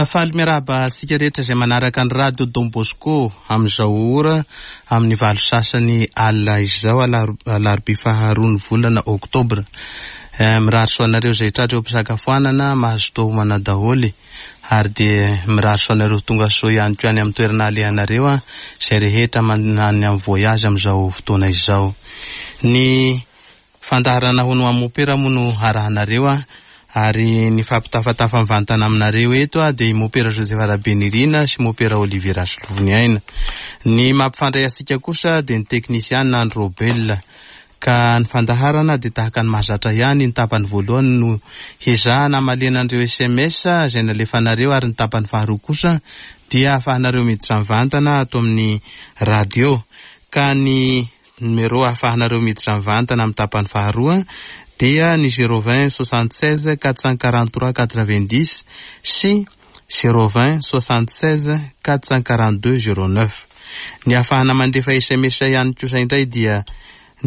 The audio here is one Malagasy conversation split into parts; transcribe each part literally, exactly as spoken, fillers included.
Faly miarahaba antsika rehetra izay manaraka ny radio Don Bosco amin'izao ora amin'ny valo sasany alina izao, alarobia faharoa ny volana oktobra. Mirary soa anareo izay tratra eo am-pisakafoanana, mahazo tohomana daholo, ary dia mirary soa anareo tonga soa ihany koa any amin'ny toerana alehanareo izay rehetra manany amin'ny voyage amin'izao fotoana izao. Ny fandaharana hono amin'ny mopera moa no arahanareo, ary ny fampitafatafa mivantana aminareo eto dia i mopera Joseph Rabenirina sy mopera Olivier Rasolofoniaina. Ny mampifandray antsika kosa dia ny teknisiana Andro Robel. Ka ny fandaharana dia tahaka ny mahazatra ihany, ny tapany voalohany no hezahana hamalena an'ireo S M S izay nalefanareo, ary ny tapany faharoa kosa dia ahafahanareo miditra mivantana ato amin'ny radio. Ka ny numéro ahafahanareo miditra mivantana amin'ny tapany faharoa dia ny zéro vingt soixante-seize quatre cent quarante-trois quatre-vingt-dix sy zéro vingt soixante-seize quatre cent quarante-deux zéro neuf. Ny ahafahana mandefa S M S ihany kosa indray dia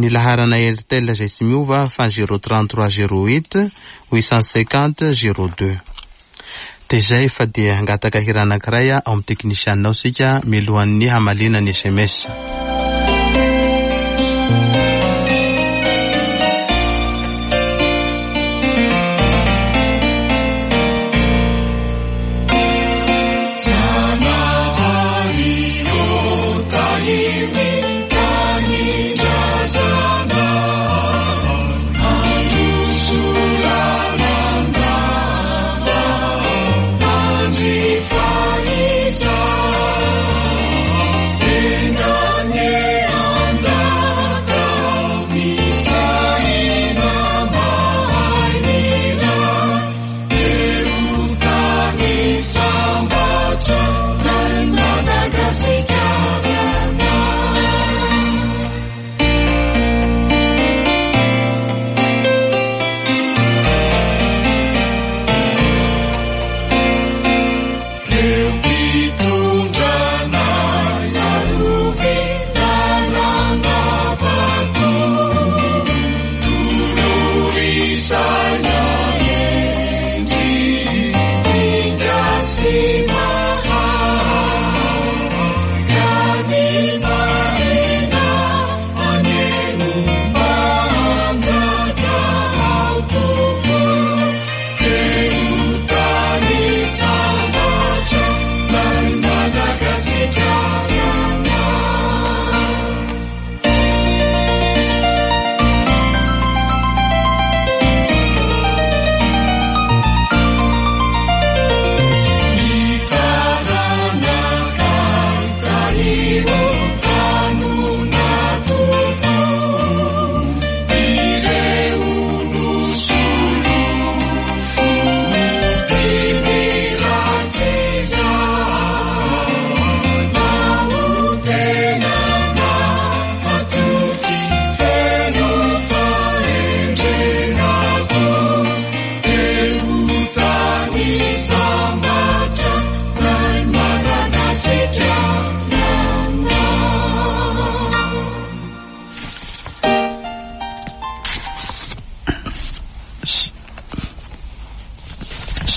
ny laharana Airtel izay tsy miova fa zéro trente-trois zéro huit huit cent cinquante zéro deux. Dia izay fa dia hangataka hira anankiray ao amin'ny teknisianao isika mialohan'ny hamaliana ny S M S.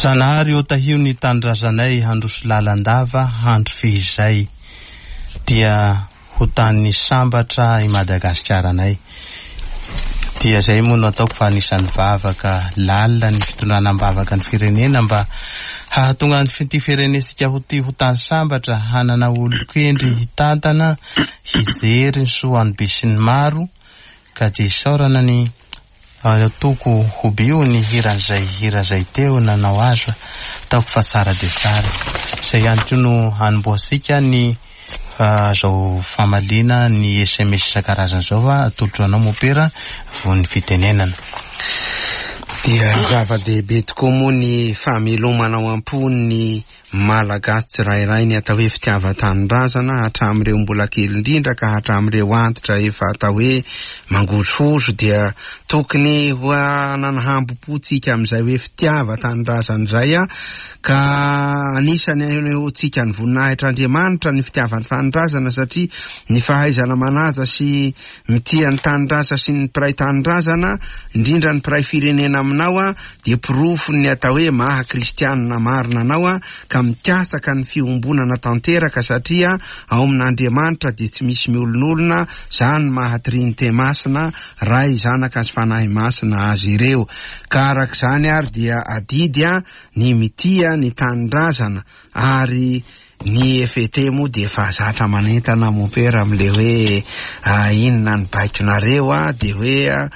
Zanahary eo tahio ny tanindrazanay, handroso lalandava, handro fehizay, dia ho tany sambatra i Madagasikara-nay. Dia izay moa no ataoko fa anisan'ny vavaka lalina ny fitondrana am-bavaka ny firenena mba hahatonga ny ity firenentsika ho ty ho tany sambatra, hanana olon-kendry hitantana, hijery ny soa an'ny besinimaro. Ka dia isaorana ny toko hobio ny hiran'izay hira izay teo nanao azy, ataoko fa tsara dia tsara. Izay ihany koa no hanombohantsika ny zao famaliana ny S M S isan-karazany izao fa atolotro anao mopera vao ny fitenenana. Dia zava-dehibe tokoa moa ny famelomana ao am-po ny Malagasy tsirairay ny atao hoe fitiavan-tanindrazana, hatramin'ireo mbola kely indrindra ka hatramin'ireo antitra efa atao hoe mangozohozo, dia tokony ho hanana hambom-po tsika amin'izay hoe fitiavan-tanindrazana izay, ka anisany anehoantsika ny voninahitr'Andriamanitra ny fitiavan-tanindrazana, satria ny fahaizana manaja sy mitia ny tanindrazana sy ny mpiray tanindrazana, indrindra ny mpiray firenena aminao aminao a dia porofon'ny atao hoe maha kristianina marina anao a ka mikasaka ny fiombonana tanteraka, satria ao amin'Andriamanitra dia tsy misy miolonolona, zany maha Trinite Masina, Ray, Zanaka sy Fanahy Masina azy ireo. Ka arak'izany ary dia adidy a ny mitia ny tanindrazana, ary ny F T moa dia efa zatra manentana mompera amin'le hoe inona ny baikonareo a, dia hoe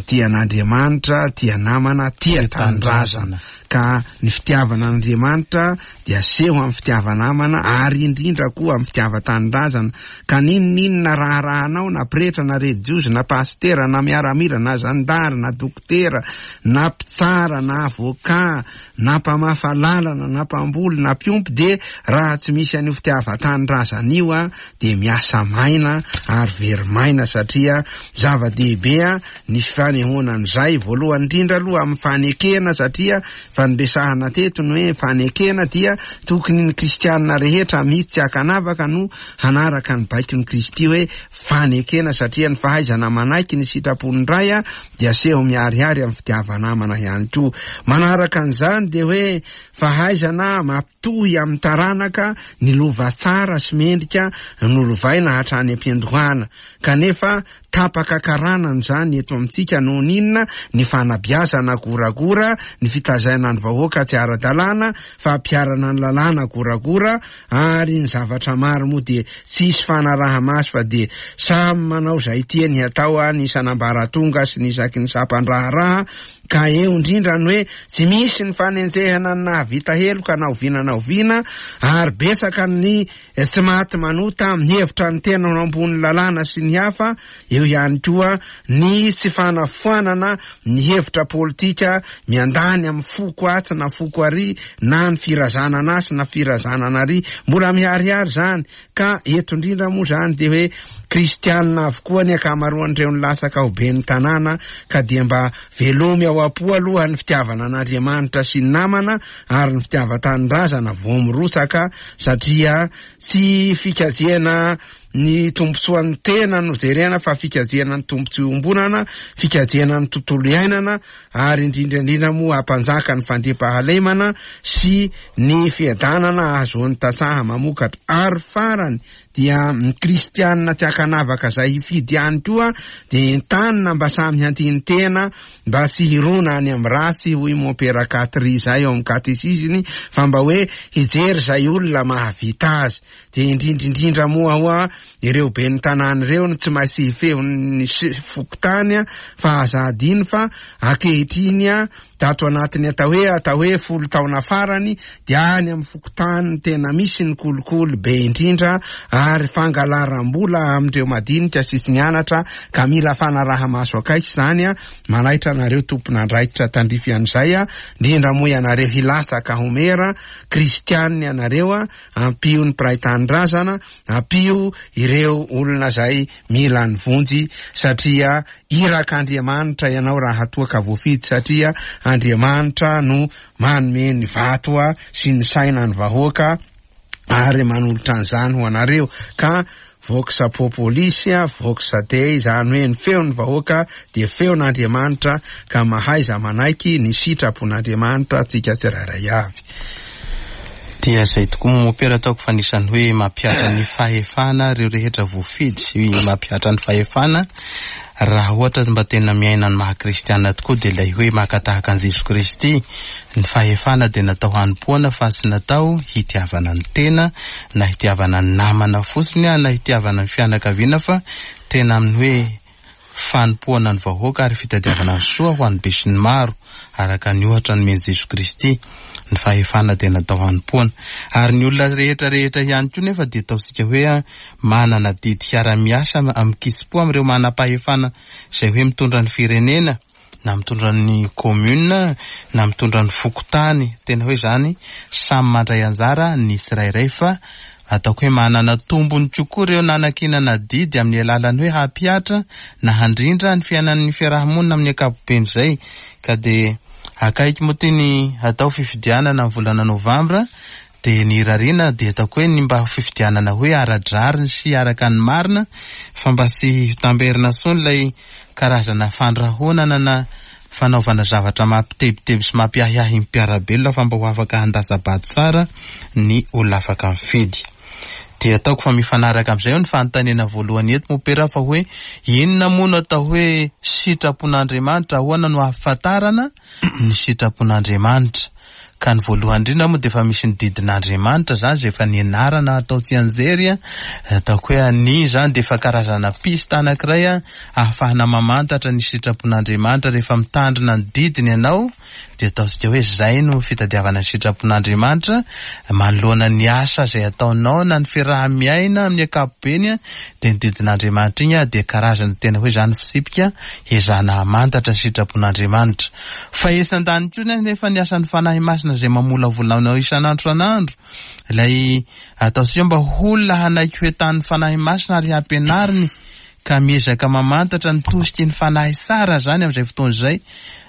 tia an'Andriamanitra, tia namana, tia tanindrazana. Ka ny fitiavana an'Andriamanitra dia aseho amin'ny fitiava-namana, ary indrindra koa amin'ny fitiavan-tanindrazana. Ka n'inon'inona raharahanao, na pretra, na relijiozy, na pastera, na miaramila, na zandary, na dokotera, na mpitsara, na avocat, na mpamafa lalana, na mpamboly, na mpiompy, dia raha tsy misy an'io fitiavan-tanindrazana io a dia miasa maina ary very maina, satria zava-dehibe a ny fanehoana an'izay. Voalohany indrindra aloha amin'ny fanekena, satria fandresahana teto ny hoe fanekena dia tokony ny kristianina rehetra mihitsy tsy ankanavaka no hanaraka ny baikon'i Kristy hoe fanekena, satria ny fahaizana manaiky ny sitrapon'ny Ray a dia aseho miharihary amin'ny fitiava-namana ihany koa. Manaraka an'izany dia hoe fahaizana mampitohy amin'ny taranaka ny lova tsara sy mendrika nolovaina hatrany am-piandohana, kanefa tapaka karanana izany eto amintsika noho ny inona? Ny fanabeazana goragora, ny fitazaina ny vahoaka tsy ara-dalàna, fampiharana ny lalàna goragora, ary ny zavatra maro moa dia tsisy fanaraha-maso fa dia samy manao izay tiany hatao a, ny isan'ambaratonga sy ny isaky ny sampan-draharaha. Ka eo indrindra ny hoe tsy misy ny fanenjehana ny nahavita heloka na oviana na oviana, ary betsaka ny tsy maty manota mihevitra ny tena ho ambony lalàna sy ny hafa. Eo ihany koa ny tsy fanafoanana ny hevitra politika miandany amin'ny foko atsy na foko ary, na ny firazanana atsy na firazanana ary, mbola miharihary zany. Ka eto indrindra moa zany dia hoe kristianina avokoa ny ankamaroan'ireo nilatsaka ho ben'ny tanàna, ka dia mba velomy ao am-po aloha ny fitiavana an'Andriamanitra sy ny namana ary ny fitiavan-tanindrazana vao mirotsaka, satria tsy fikajiana ny tombontsoan'ny tena no jerena fa fikajiana ny tombontsoa iombonana, fikajiana ny tontolo iainana, ary indrindra indrindra moa hampanjaka ny fandriampahalemana sy ny fiadanana ahazoan'ny tantsaha mamokatra. Ary farany dia ny kristianina tsy ankanavaka izay hifidy ihany koa dia entanina mba samy handini-tena, mba tsy hirona any amin'ny ratsy, hoy mompera Katry izay ao amin'ny katesiziny, fa mba hoe hijery izay olona mahavita azy. Dia indrindra indrindra moa hoa ireo ben'ny tanàna ireo no tsy maintsy hifehon'ny fokontany, fa aza adino fa ankehitriny a tato anatiny atao hoe atao hoe folo taona farany dia any amin'ny fokontany tena misy ny kolikoly be indrindra, ary fangalaram-bola amin'ireo madinika sy tsy nianatra, ka mila fanaraha-maso akaiky izany a. Manaitra anareo tompon'andraikitra tandrify an'izay a, indrindra moa ianareo hilatsaka ho mera kristianina ianareo a, ampio ny mpiray tanindrazana, ampio ireo olona izay mila ny vonjy, satria irak'Andriamanitra ianao raha toa ka voafidy, satria Andriamanitra no manome ny vato a sy ny saina ny vahoaka ary manolotra an'izany ho anareo. Ka vox populis, vox dei, izany hoe ny feon'ny vahoaka dia feon'Andriamanitra, ka mahaiza manaiky ny sitrapon'Andriamanitra tsika tsirairay avy. Dia izay tokoa mompera ataoko fa anisan'ny hoe mampihatra ny fahefana ireo rehetra voafidy sy mampihatra ny fahefana. Raha ohatra mba tena miaina ny maha kristiana tokoa dia ilay hoe maka tahaka an'i Jesoa Kristy. Ny fahefana dia natao hanompoana fa tsy natao hitiavana ny tena, na hitiavana ny namana fotsiny, na hitiavana ny fianakaviana, fa tena amin'ny hoe fanompoana ny vahoaka ary fitadiavana ny soa ho an'ny besinimaro, araka ny ohatra nomen'i Jesoa Kristy. Ny fahefana dia natao hanompoana. Ary ny olona rehetra rehetra ihany koa nefa dia ataontsika hoe manana didy hiara-miasa amin'ny kitsim-po amin'ireo manam-pahefana izay hoe mitondra ny firenena, na mitondra ny commune, na mitondra ny fokontany. Tena hoe izany samy mandray anjara ny tsirairay, fa ataoko hoe manana tombony kokoa ireo nanakinana didy amin'ny alalan'ny hoe hampihatra na handrindra ny fiainan'ny fiarahamonina amin'ny ankapobeny izay. Ka dia akaiky moa ty ny atao fifidianana amin'ny volana novambra, dia ny irariana dia ataoko hoe ny mba fifidianana hoe ara-drariny sy araka ny marina, fa mba tsy hitamberina intsony ilay karazana fandrahonana na fanaovana zavatra mampitebiteby sy mampiahiahy ny mpiara-belona fa mba ho afaka handatsa-bato tsara ny olona afaka mifidy. Dia ataoko fa mifanaraka amin'izay eo ny fanontaniana voalohany eto mopera fa hoe inona moa no atao hoe sitrapon'Andriamanitra, ahoana no ahafantarana ny sitrapon'Andriamanitra? Ka ny voalohany indrindra moa dia efa misy ny didin'Andriamanitra zany izay efa nianarana atao tsianjery, ataoko hoe ny zany dia efa karazana piste anankiray ahafahana mamantatra ny sitrapon'Andriamanitra. Rehefa mitandrina ny didiny ianao dia ataontsika hoe zay no fitadiavana ny sitrapon'Andriamanitra manoloana ny asa izay ataonao na ny fiaraha-miaina amin'ny ankapobeny. Dia ny didin'Andriamanitra iny dia karazana tena hoe zany fitsipika ezahana hamantatra ny sitrapon'Andriamanitra. Fa etsy an-daniny koa nefa ny asan'ny Fanahy Masina izay mamolavola anao isan'andro isan'andro, ilay ataontsika mba ho olona hanaiky ho entanin'ny Fanahy Masina ary hampianariny ka miezaka mamantatra ny tosiky ny Fanahy tsara zany amin'izay fotoana izay.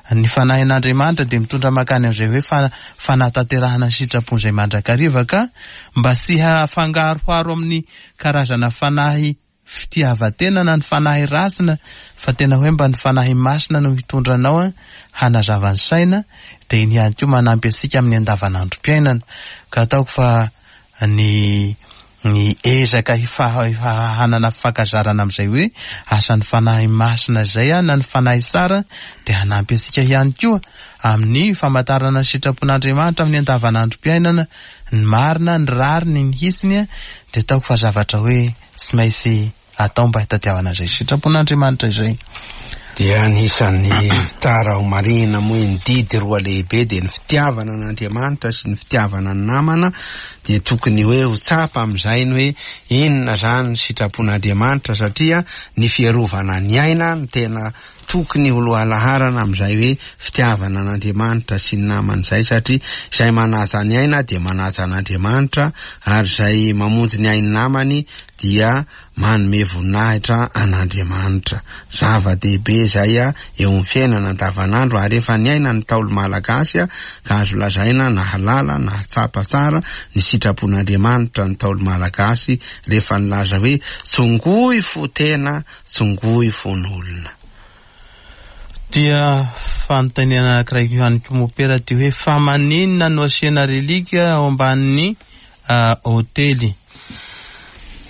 Ny Fanahin'Andriamanitra dia mitondra makany amin'izay hoe fa fanatanterahana ny sitrapony izay mandrakariva, ka mba tsy hafangaroharo amin'ny karazana fanahy fitiavan-tena na ny fanahy ratsina, fa tena hoe mba ny Fanahy Masina no hitondra anao hanazava ny saina, dia iny ihany koa manampy antsika amin'ny andavanandrom-piainana. Ka ataoko fa ny ny ezaka hanana fifankazarana amin'izay hoe asan'ny Fanahy Masina izay na ny Fanahy tsara dia hanampy antsika ihany koa amin'ny famantarana ny sitrapon'Andriamanitra amin'ny andavanandrom-piainana, ny marina, ny rariny, ny hitsiny. Dia ataoko fa zavatra hoe tsy maintsy atao mba hitadiavana izay sitrapon'Andriamanitra izay. Dia anisan'ny tsara ho marihina moa ny didy roa lehibe dia ny fitiavana an'Andriamanitra sy ny fitiavana ny namana. Dia tokony hoe ho tsapa amin'izay ny hoe inona zany ny sitrapon'Andriamanitra, satria ny fiarovana ny aina no tena tokony ho lohalaharana amin'izay hoe fitiavana an'Andriamanitra sy ny namana izay, satria izay manaja ny aina dia manaja an'Andriamanitra, ary izay mamonjy ny ain'ny namany dia manome voninahitra an'Andriamanitra. Zava-dehibe izay eo amin'ny fiainana andavanandro, ary efa niaina ny Ntaolo malagasy ka azo lazaina nahalala, nahatsapa tsara ny sitrapon'Andriamanitra ny Ntaolo malagasy rehefa nilaza hoe tsongoy fo tena, tsongoy fon'olona. Dia fanontaniana anankiray ihany koa mopera ty hoe fa maninona no asiana relika ao ambanin'ny hotely?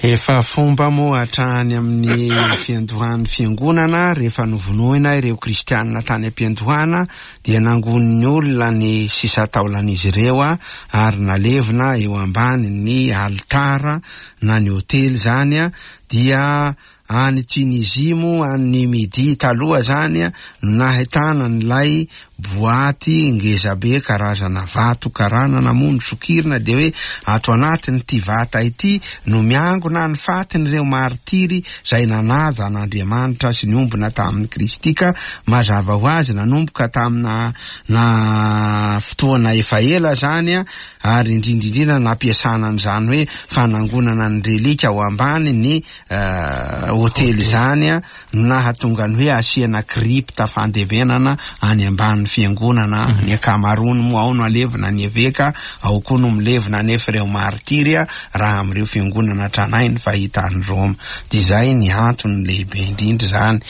Efa fomba moa hatrany amin'ny fiandohan'ny fiangonana, rehefa novonoina ireo kristianina tany am-piandohana dia nangonin'ny olona ny sisa taolan'izy ireo ary nalevina eo ambany ny alitara na ny hotely zany. Dia any Tunisie moa, any Midi taloha zany, nahitana an'ilay boaty ngezabe karazana vato karanana moa nosokirina, dia hoe ato anatin'ity vata ity no miangona ny fatin'ireo martiry izay nanaja an'Andriamanitra sy niombona tamin'i Kristy. Ka mazava ho azy nanomboka tamina na fotoana efa ela zany, ary indrindra indrindra nampiasana an'izany hoe fanangonana ny relika ao ambany ny hotely zany, nahatonga ny hoe asiana crypte fandevenana any ambanin'ny fiangonana. Ny ankamaroany moa ao no alevina ny eveka, ao koa no milevina nefa ireo martiry raha amin'ireo fiangonana tranainy fahita any Roma. Dia izay ny antony lehibe indrindra zany.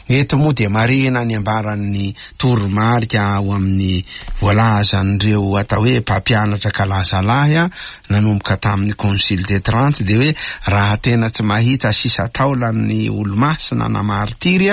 Eto moa dia marihina ny ambaran'ny toromarika ao amin'ny voalazan'ireo atao hoe mpampianatra kalazalahy nanomboka tamin'ny Concile de Trente, dia hoe raha tena tsy mahita sisa taolan'ny olomasina na martiry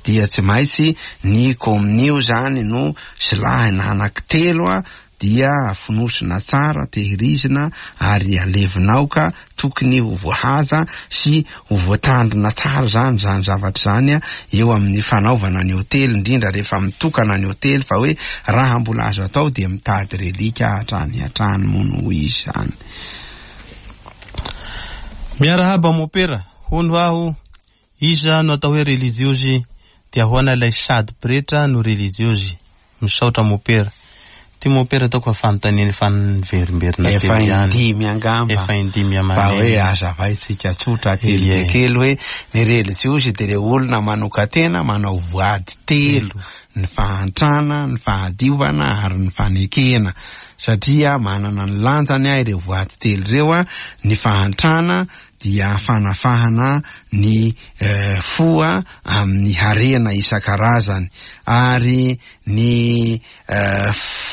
dia tsy maintsy ny kominio zany no silahina anankitelo, dia fonosina tsara, tehirizina ary alevinao, ka tokony ho voahaza sy ho voatandrina tsara zany zany zavatra zany eo amin'ny fanaovana ny hotely, indrindra rehefa mitokana ny hotely, fa hoe raha mbola azo atao dia mitady relika hatrany hatrany moa no izy zany. Miarahaba mopera, hono aho, iza no atao hoe religiozy, dia ahoana ilay sady pretra no religiozy? Misaotra mopera. Ty mopera ataoko fa fanontaniana efa niverimberina Efa teo ihany. indimy angamba. Efa indimy Fa aman'enina. hoe azavaintsika tsotra kely dia Ie. kely hoe ny religiozy dia ireo olona manokan-tena manao voady telo, ny fahantrana, ny fahadiovana ary ny fanekena, satria manana ny lanjany ireo voady telo ireo. Ny fahantrana dia fanafahana ny fo amin'ny harena isan-karazany, ary ny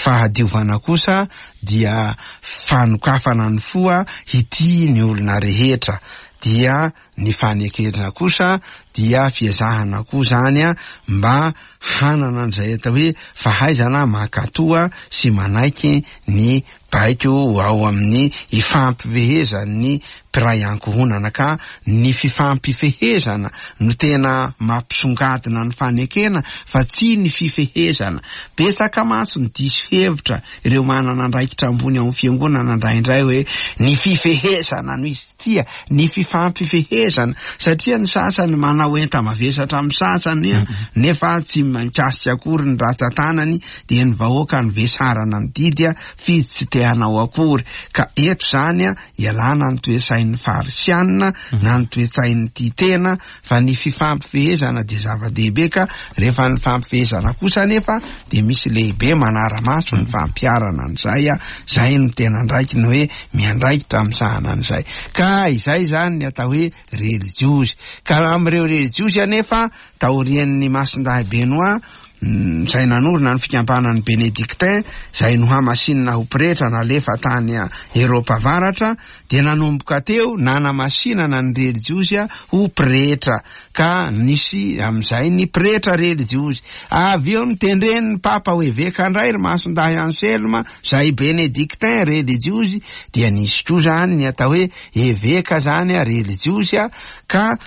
fahadiovana kosa dia fanokafana ny fo hitia ny olona rehetra. Dia ny fanekena kosa dia fiezahana koa zany mba hanana an'izay atao hoe fahaizana mankatoa sy manaiky ny baiko ao amin'ny ifampifehezan'ny mpiray ankohonana. Ka ny fifampifehezana no tena mampisongadina ny fanekena fa tsy ny fifehezana. Betsaka mantsy ny diso hevitra ireo manana andraikitra ambony ao amin'ny fiangonana indraindray hoe ny fifehezana no izy, tia ny fifampifehezana, satria ny sasany manao enta-mavesatra amin'ny sasany nefa tsy mikasika akory ny ratsan-tanany, dia ny vahoaka ny vesarana ny didy fidy tsy te hanao akory. Ka eto zany ialana ny toe-tsain'ny farisianina na ny toe-tsain'ny tia tena, fa ny fifampifehezana dia zava-dehibe. Ka rehefa ny fampifehezana kosa nefa dia misy lehibe manara-maso ny fampiharana an'izay, zay no tena andraikiny hoe miandraikitra misahana an'izay. Ka izay zany ny atao hoe relijiozy. Ka amin'ireo relijiozy anefa taorian'ny Masindahy Benoît izay nanorina ny fikambanan'ny Bénédictin, izay nohamasinina ho pretra nalefa tany Eropa avaratra, dia nanomboka teo nanamasinana ny relijiozy ho pretra, ka nisy amin'izay ny pretra relijiozy. Avy eo notendren'ny papa ho eveka indray ry Masindahy Anselme izay Bénédictin relijiozy, dia nisy koa zany ny atao hoe eveka zany relijiozy. Ka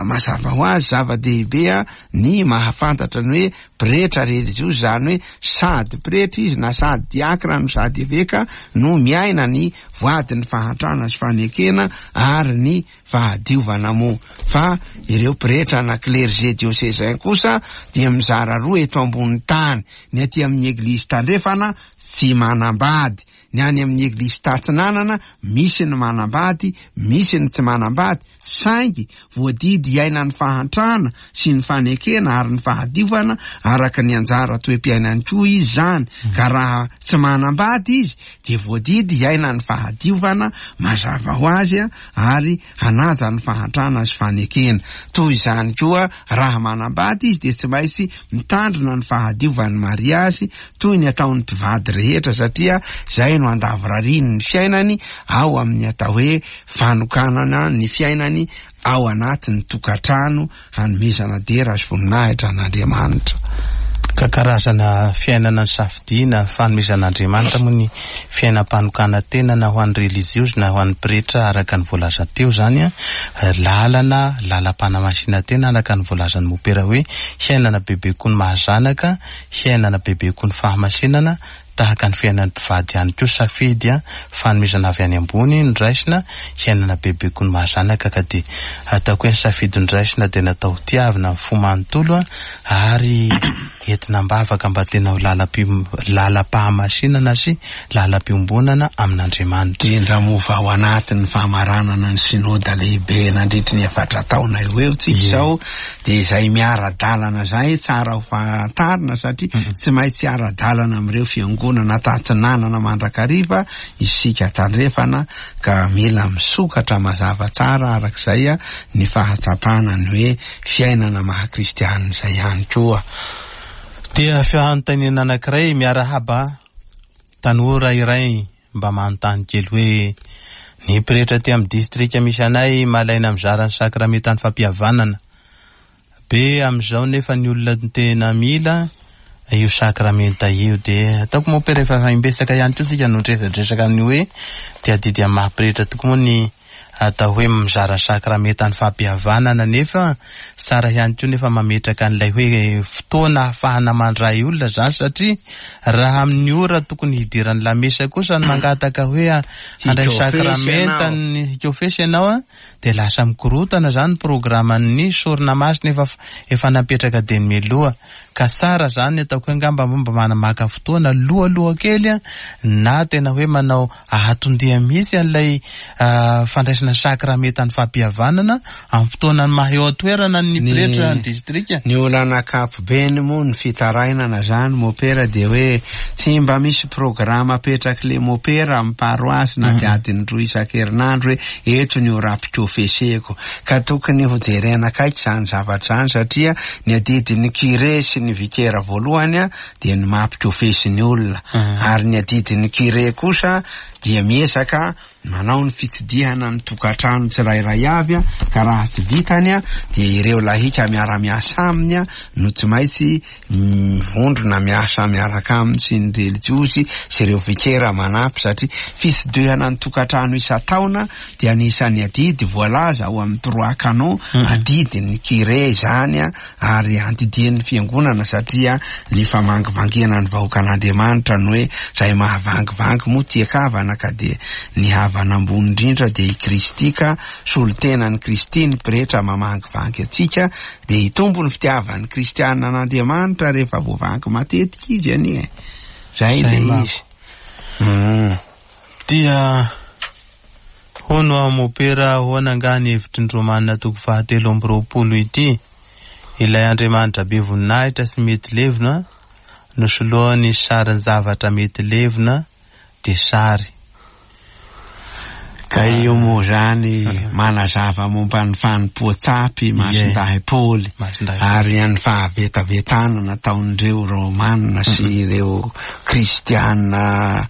mazava ho azy zava-dehibe ny mahafantatra ny hoe pretra relijiozy, zany hoe sady pretra izy na sady diakra no sady eveka, no miaina ny voadin'ny fahantrana sy fanekena ary ny fahadiovana moa. Fa ireo pretra na clergé diocésain kosa dia mizara roa eto ambony tany: ny aty amin'ny eglizy tandrefana tsy manambady, ny any amin'ny eglizy tatsinanana misy ny manambady, misy ny tsy manambady, saingy voadidy hiaina ny fahantrana sy ny fanekena ary ny fahadiovana araka ny anjara toe-piainany koa izy zany. Ka raha tsy manambady izy dia voadidy hiaina ny fahadiovana mazava ho azy ary hanaja ny fahantrana sy fanekena. Toy izany koa raha manambady izy dia tsy maintsy mitandrina ny fahadiovan'ny mariazy toy ny ataon'ny mpivady rehetra, satria zay no andavorariany ny fiainany ao amin'ny atao hoe fanokanana ny fiainany ao anatin'ny tokantrano hanomezana dera sy voninahitra an'Andriamanitra. Ka karazana fiainana ny safidiana fanomezan'Andriamanitra moa ny fiainam-panokana tena na ho an'ny relijiozy na ho an'ny pretra araka ny voalaza teo zany, lalana lalam-panamasinana tena araka ny voalazan'ny mopera hoe hiainana bebe koa ny mahazanaka, hiainana bebe koa ny fahamasinana tahaka ny fiainan'ny mpivady ihany koa, safidy a fanomezana avy any ambony noraisina, hiainana bebe koa ny mahazanaka. Ka dia ataoko hoe ny safidy noraisina dia natao tiavina ny fo manontolo ary entina am-bavaka mba tena ho lalam-pahamasinana sy lalam-piombonana amin'Andriamanitra. Indrindra moa fa ao anatin'ny famaranana ny sinoda lehibe nandritry ny efatra taona eo eo tsika izao, dia izay miara-dalana zay tsara ho fantarina, satria tsy maintsy ara-dalana amin'ireo fiangonana tatsinanana mandrakariva isika tandrefana, ka mila misokatra mazava tsara arak'izay ny fahatsapana ny hoe fiainana maha kristianina izay ihany koa. Dia fanontaniana anankiray, miarahaba tanora iray mba manontany kely hoe ny pretra aty amin'ny distrika misy anay malaina mizara ny sakramentan'ny fampihavanana be amin'izao, nefa ny olona tena mila io sakramenta io. Dia ataoko moa rehefa imbetsaka ihany koa tsika no niresadresaka ny hoe dia adidy amin'ny maha pretra tokoa moa ny atao hoe mizara sakramentan'ny fampihavanana, nefa tsara ihany koa nefa mametraka an'ilay hoe fotoana ahafahana mandray olona zany, satria raha amin'ny ora tokony hidiran'ny lamesa kosa ny mangataka hoe handray sakramentan'ny hikofesy ianao a, dia lasa mikorotana zany programan'ny sorona masina efa efa napetraka dia mialoha. Ka tsara zany ataoko hoe angamba mba manamaka fotoana alohaloha kely a, na tena hoe manao ahatondia mihitsy an'ilay fandraisana sakramentan'ny fampihavanana amin'ny fotoana maha eo an-toerana ny pretra ny distrika. Ny olana ankapobeny moa ny fitarainana zany mopera dia hoe tsy mba misy programa apetraky le mopera amin'ny paroasy na dia adiny roa isan-kerinandro hoe eto ny ora ampikofeseko, ka tokony ho jerena akaiky zany zavatra zany satria ny adidin'ny curé sy ny vikera voalohany a dia ny mampikofesy ny olona, ary ny adidin'ny curé kosa dia miezaka manao ny fitsidihana ny tokantrano tsirairay avy a, ka raha tsy vitany a dia ireo lahika miara-miasa aminy a no tsy maintsy mivondrona miasa miaraka aminy sy ny relijiozy sy ireo vikera manampy, satria fitsidihana ny tokantrano isan-taona dia anisan'ny adidy voalaza ao amin'ny trois canons, adidin'ny curé izany a, ary andidian'ny fiangonana satria ny famangivangiana ny vahoakan'Andriamanitra no hoe izay mahavangivangy moa tia-kavana, ka dia ny havana ambony indrindra dia i Kristy, ka solotenan'i Kristy ny pretra mamangivangy antsika, dia hitombo ny fitiavan'ny kristiana an'Andriamanitra rehefa voavangy matetika izy anie. Zay le izy. Dia hono aho mopera ahoana angaha ny hevitry ny Romana toko fahatelo amby roapolo ity? Ilay Andriamanitra be voninahitra sy mety levona nosoloany sarin-javatra mety levona dia sary. Ka io moa zany manazava momba ny fanompoan-tsampy Masindahy Paoly ary ny fahavetavetana nataon'ireo Romanina sy ireo Kristiana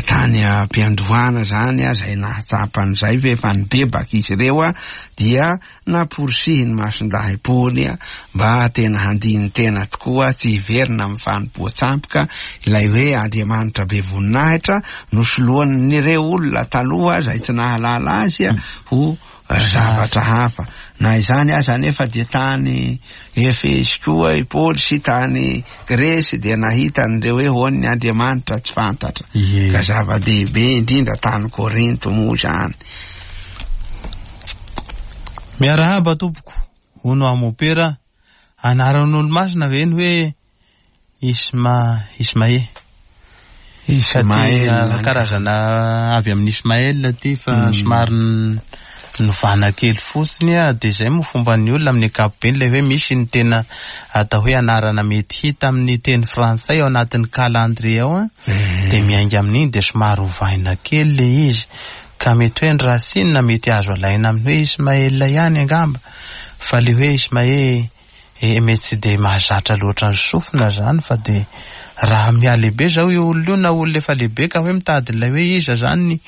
tany am-piandohana zany a, izay nahatsapan'izay fa efa nibebaka izy ireo a, dia namporisihiny Masindahy Paoly a mba tena handiny tena tokoa tsy hiverina amin'ny fanompoan-tsampy, ka ilay hoe Andriamanitra be voninahitra nosoloan'ireo olona taloha izay tsy nahalala azy a ho zavatra hafa. Na izany aza nefa dia tany Efesy koa i Paoly sy tany Gresy dia nahita an'ireo hoe hoan'ny Andriamanitra tsy fantatra, ka zava-dehibe indrindra tany Korinto moa zany. Miarahaba tompoko, hono aho mopera, anaran'olo-masina ve ny hoe Isma Ismae? Ismael karazana avy amin'ny Ismael ty fa somary novana kely fotsiny a, dia izay moa fomban'ny olona amin'ny ankapobeny ilay hoe misy ny tena atao hoe anarana mety hita amin'ny teny frantsay ao anatin'ny calendrier ao a, dia miainga amin'iny dia somary ovaina kely le izy, ka mety hoe ny racine mety azo alaina amin'ny hoe Ismael ihany angamba, fa le hoe Ismae e mety tsy dia mahazatra loatra ny sofina zany, fa dia raha mihalehibe zao io olona io na olona efa lehibe ka hoe mitady ilay hoe iza zany ny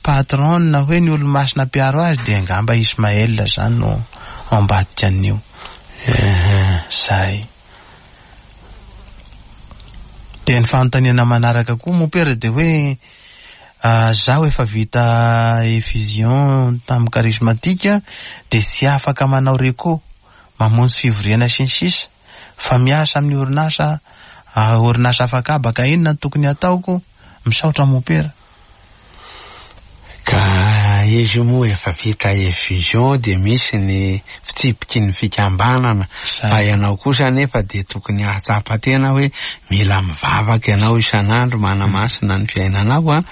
patron na hoe ny olo-masina mpiaro azy, dia angamba Ismael zany no ao ambadika an'io. Zay. Dia ny fanontaniana manaraka koa mopera dia hoe zaho efa vita effusion tamin'ny charismatique dia tsy afaka manao reco mamonjy fivoriana sy ny sisa fa miasa amin'ny orinasa orinasa afakabaka, inona no tokony ataoko? Misaotra mopera. Ka izy moa efa vita effusion dia misy ny fitsipiky ny fikambanana, fa ianao kosa nefa dia tokony hahatsapa tena hoe mila mivavaka ianao isan'andro manamasina ny fiainanao a.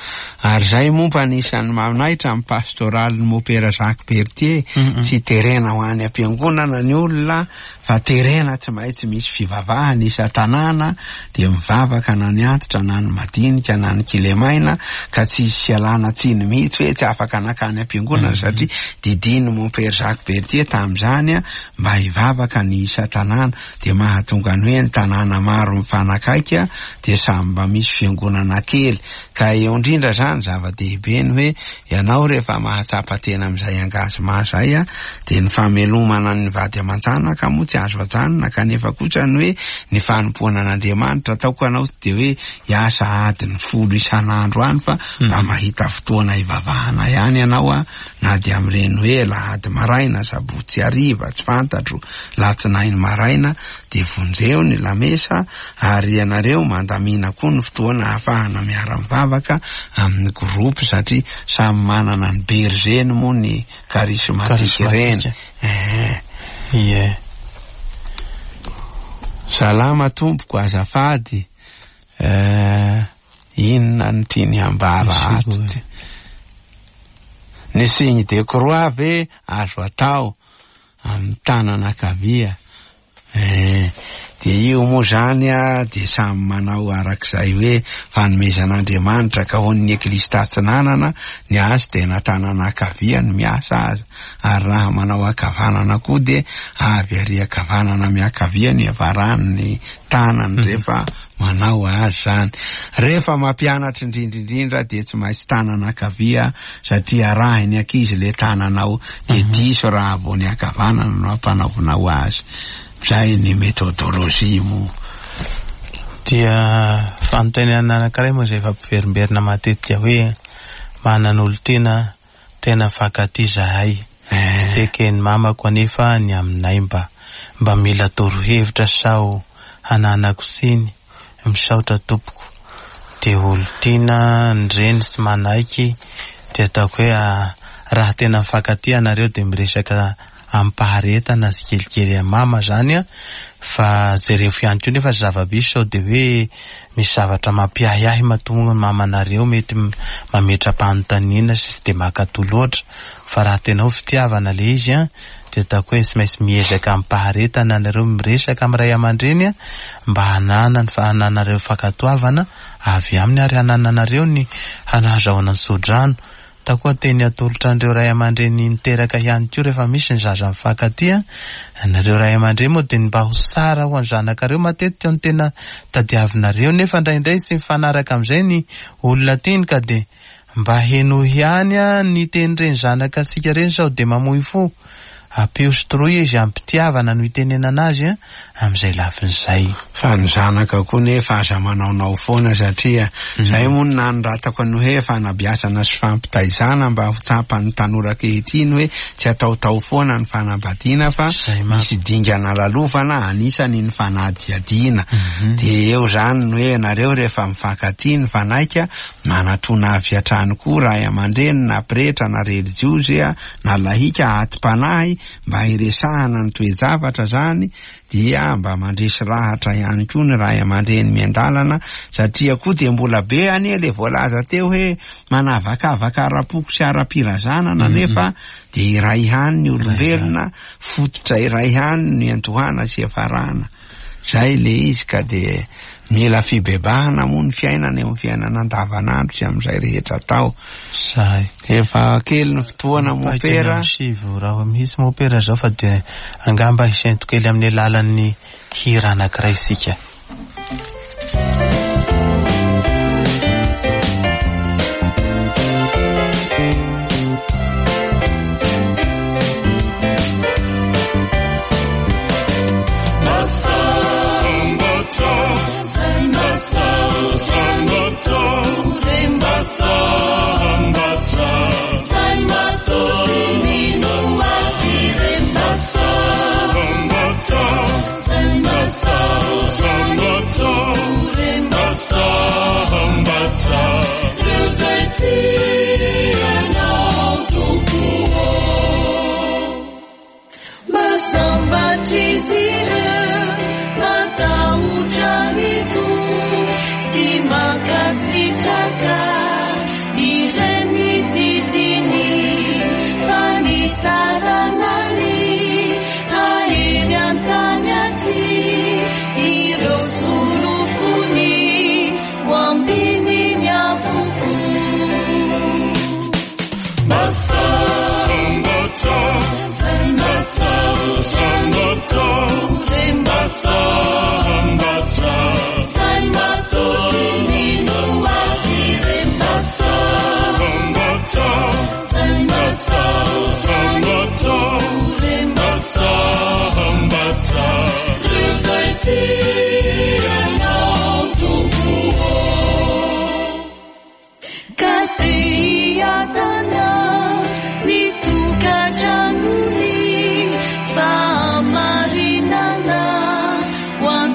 Ary zay moa mba anisan'ny manaitra amin'ny pastoralin'ny mopera Jacques Berthier, tsy terena ho any am-piangonana ny olona fa terena tsy maintsy misy fivavahana isan-tanàna, dia mivavaka na ny antitra na ny madinika na ny kilemaina, ka tsy hisy fialana tsiny mihitsy hoe tsy afaka nakany am-piangonana, satria didin'ny mompera Jacques Berthier tamin'izany a mba hivavaka ny isan-tanàna, dia mahatonga ny hoe ny tanàna maro mifanakaiky dia samy mba misy fiangonana kely. Ka eo indrindra zany zava-dehibe ny hoe ianao rehefa mahatsapa tena amin'izay engagement zay a, dia ny famelomana ny vady aman-janaka moa tsy azo ajanona, kanefa kosa ny hoe ny fanompoana an'Andriamanitra ataoko anao dia hoe hiasa adiny folo isan'andro any, fa mba mahita fotoana hivavahana ihany ianao a, na dia amin'ireny hoe alahady maraina, sabotsy hariva, tsy fantatro, alatsinainy maraina, dia vonjeo ny lamesa, ary ianareo mandamina koa ny fotoana ahafahana miara-mivavaka amin'ny groupe, satria samy manana ny berger-ny moa ny charismatique ireny. Ie. Salama tompoko, azafady. Inona no tiany hambara ato ty? Ny signe de croix ve azo atao amin'ny tanana ankavia. Eh, dia io moa zany a dia samy manao arak'izay hoe fanomezan'Andriamanitra, ka ho an'ny Eglizy Tatsinanana ny azy dia na tanana ankavia no miasa azy, ary raha manao ankavanana koa dia avy ary ankavanana miankavia ny avarany tanany rehefa manao azy zany. Rehefa mampianatra indrindra indrindra dia tsy maintsy tanana ankavia, satria arahiny ankizy le tananao dia diso raha vao ny ankavanana no ampanaovinao azy. Zay ny metodolojia moa. Dia fanontaniana anankiray moa izay efa mpiverimberina matetika hoe manan'olon-tena tena mifankatia zahay. Tsy teken'ny mamako anefa ny aminay, mba mba mila torohevitra sao hananako tsiny. Misaotra tompoko. Dia olon-tiana ny reny tsy manaiky, dia ataoko hoe raha tena mifankatia anareo dia miresaka am-paharetana sy kelikely amin'ny mama zany a, fa jereo ihany koa nefa zava-misy sao dia hoe misy zavatra mampiahiahy mahatonga ny mamanareo mety mametra-panontaniana sy tsy dia mankatò loatra, fa raha tena ho fitiavana le izy a dia ataoko hoe tsy maintsy miezaka am-paharetana anareo miresaka amin'ny ray aman-dreny a, mba hananany fa hananareo fankatoavana avy aminy ary hanananareo ny hanazahoana ny tsodrano. Takoa teny atolotra an'ireo ray aman-dreny niteraka ihany koa rehefa misy ny zaza mifankatia. Nareo ray aman-dreny moa dia mba ho tsara ho an'ny zanakareo matetika no tena tadiavinareo, nefa indraindray tsy mifanaraka amin'izay ny olona tiany, ka dia mba henoy ihany a ny tenin'ireny zanaka antsika ireny sao dia mamoy fo. Ampio sy toroy izy am-pitiavana no itenenana azy a amin'izay lafin'izay. Fa ny zanaka koa nefa aza manaonao foana, satria zay moa no nanoratako ny hoe fanabeazana sy fampitaizana mba ho tsapan'ny tanora ankehitriny hoe tsy ataotao foana ny fanambadiana fa misy dingana lalovana, anisany ny fanadihadiana. Dia eo zany ny hoe nareo rehefa mifankatia ny fanaika manatona avy hatrany koa ray aman-dreny na pretra na relijiozy na lahika atim-panahy mba hiresahana ny toe-javatra zany, dia mba mandresy lahatra ihany koa ny ray aman-dreny miandalana, satria koa dia mbola be anie le voalaza teo hoe manavakavaka ara-poko sy ara-pirazanana, nefa dia iray ihany ny olombelona, fototra iray ihany ny antohana sy afarana. Zay le izy, ka dia mila fibebahana moa ny fiainana eo amin'ny fiainana andavanandro sy amin'izay rehetra atao. Zay. Efa kely ny fotoana mopera. Sivy raha mihitsy mopera zao, fa dia angamba hisento kely amin'ny alalan'ny hira anankiray isika. One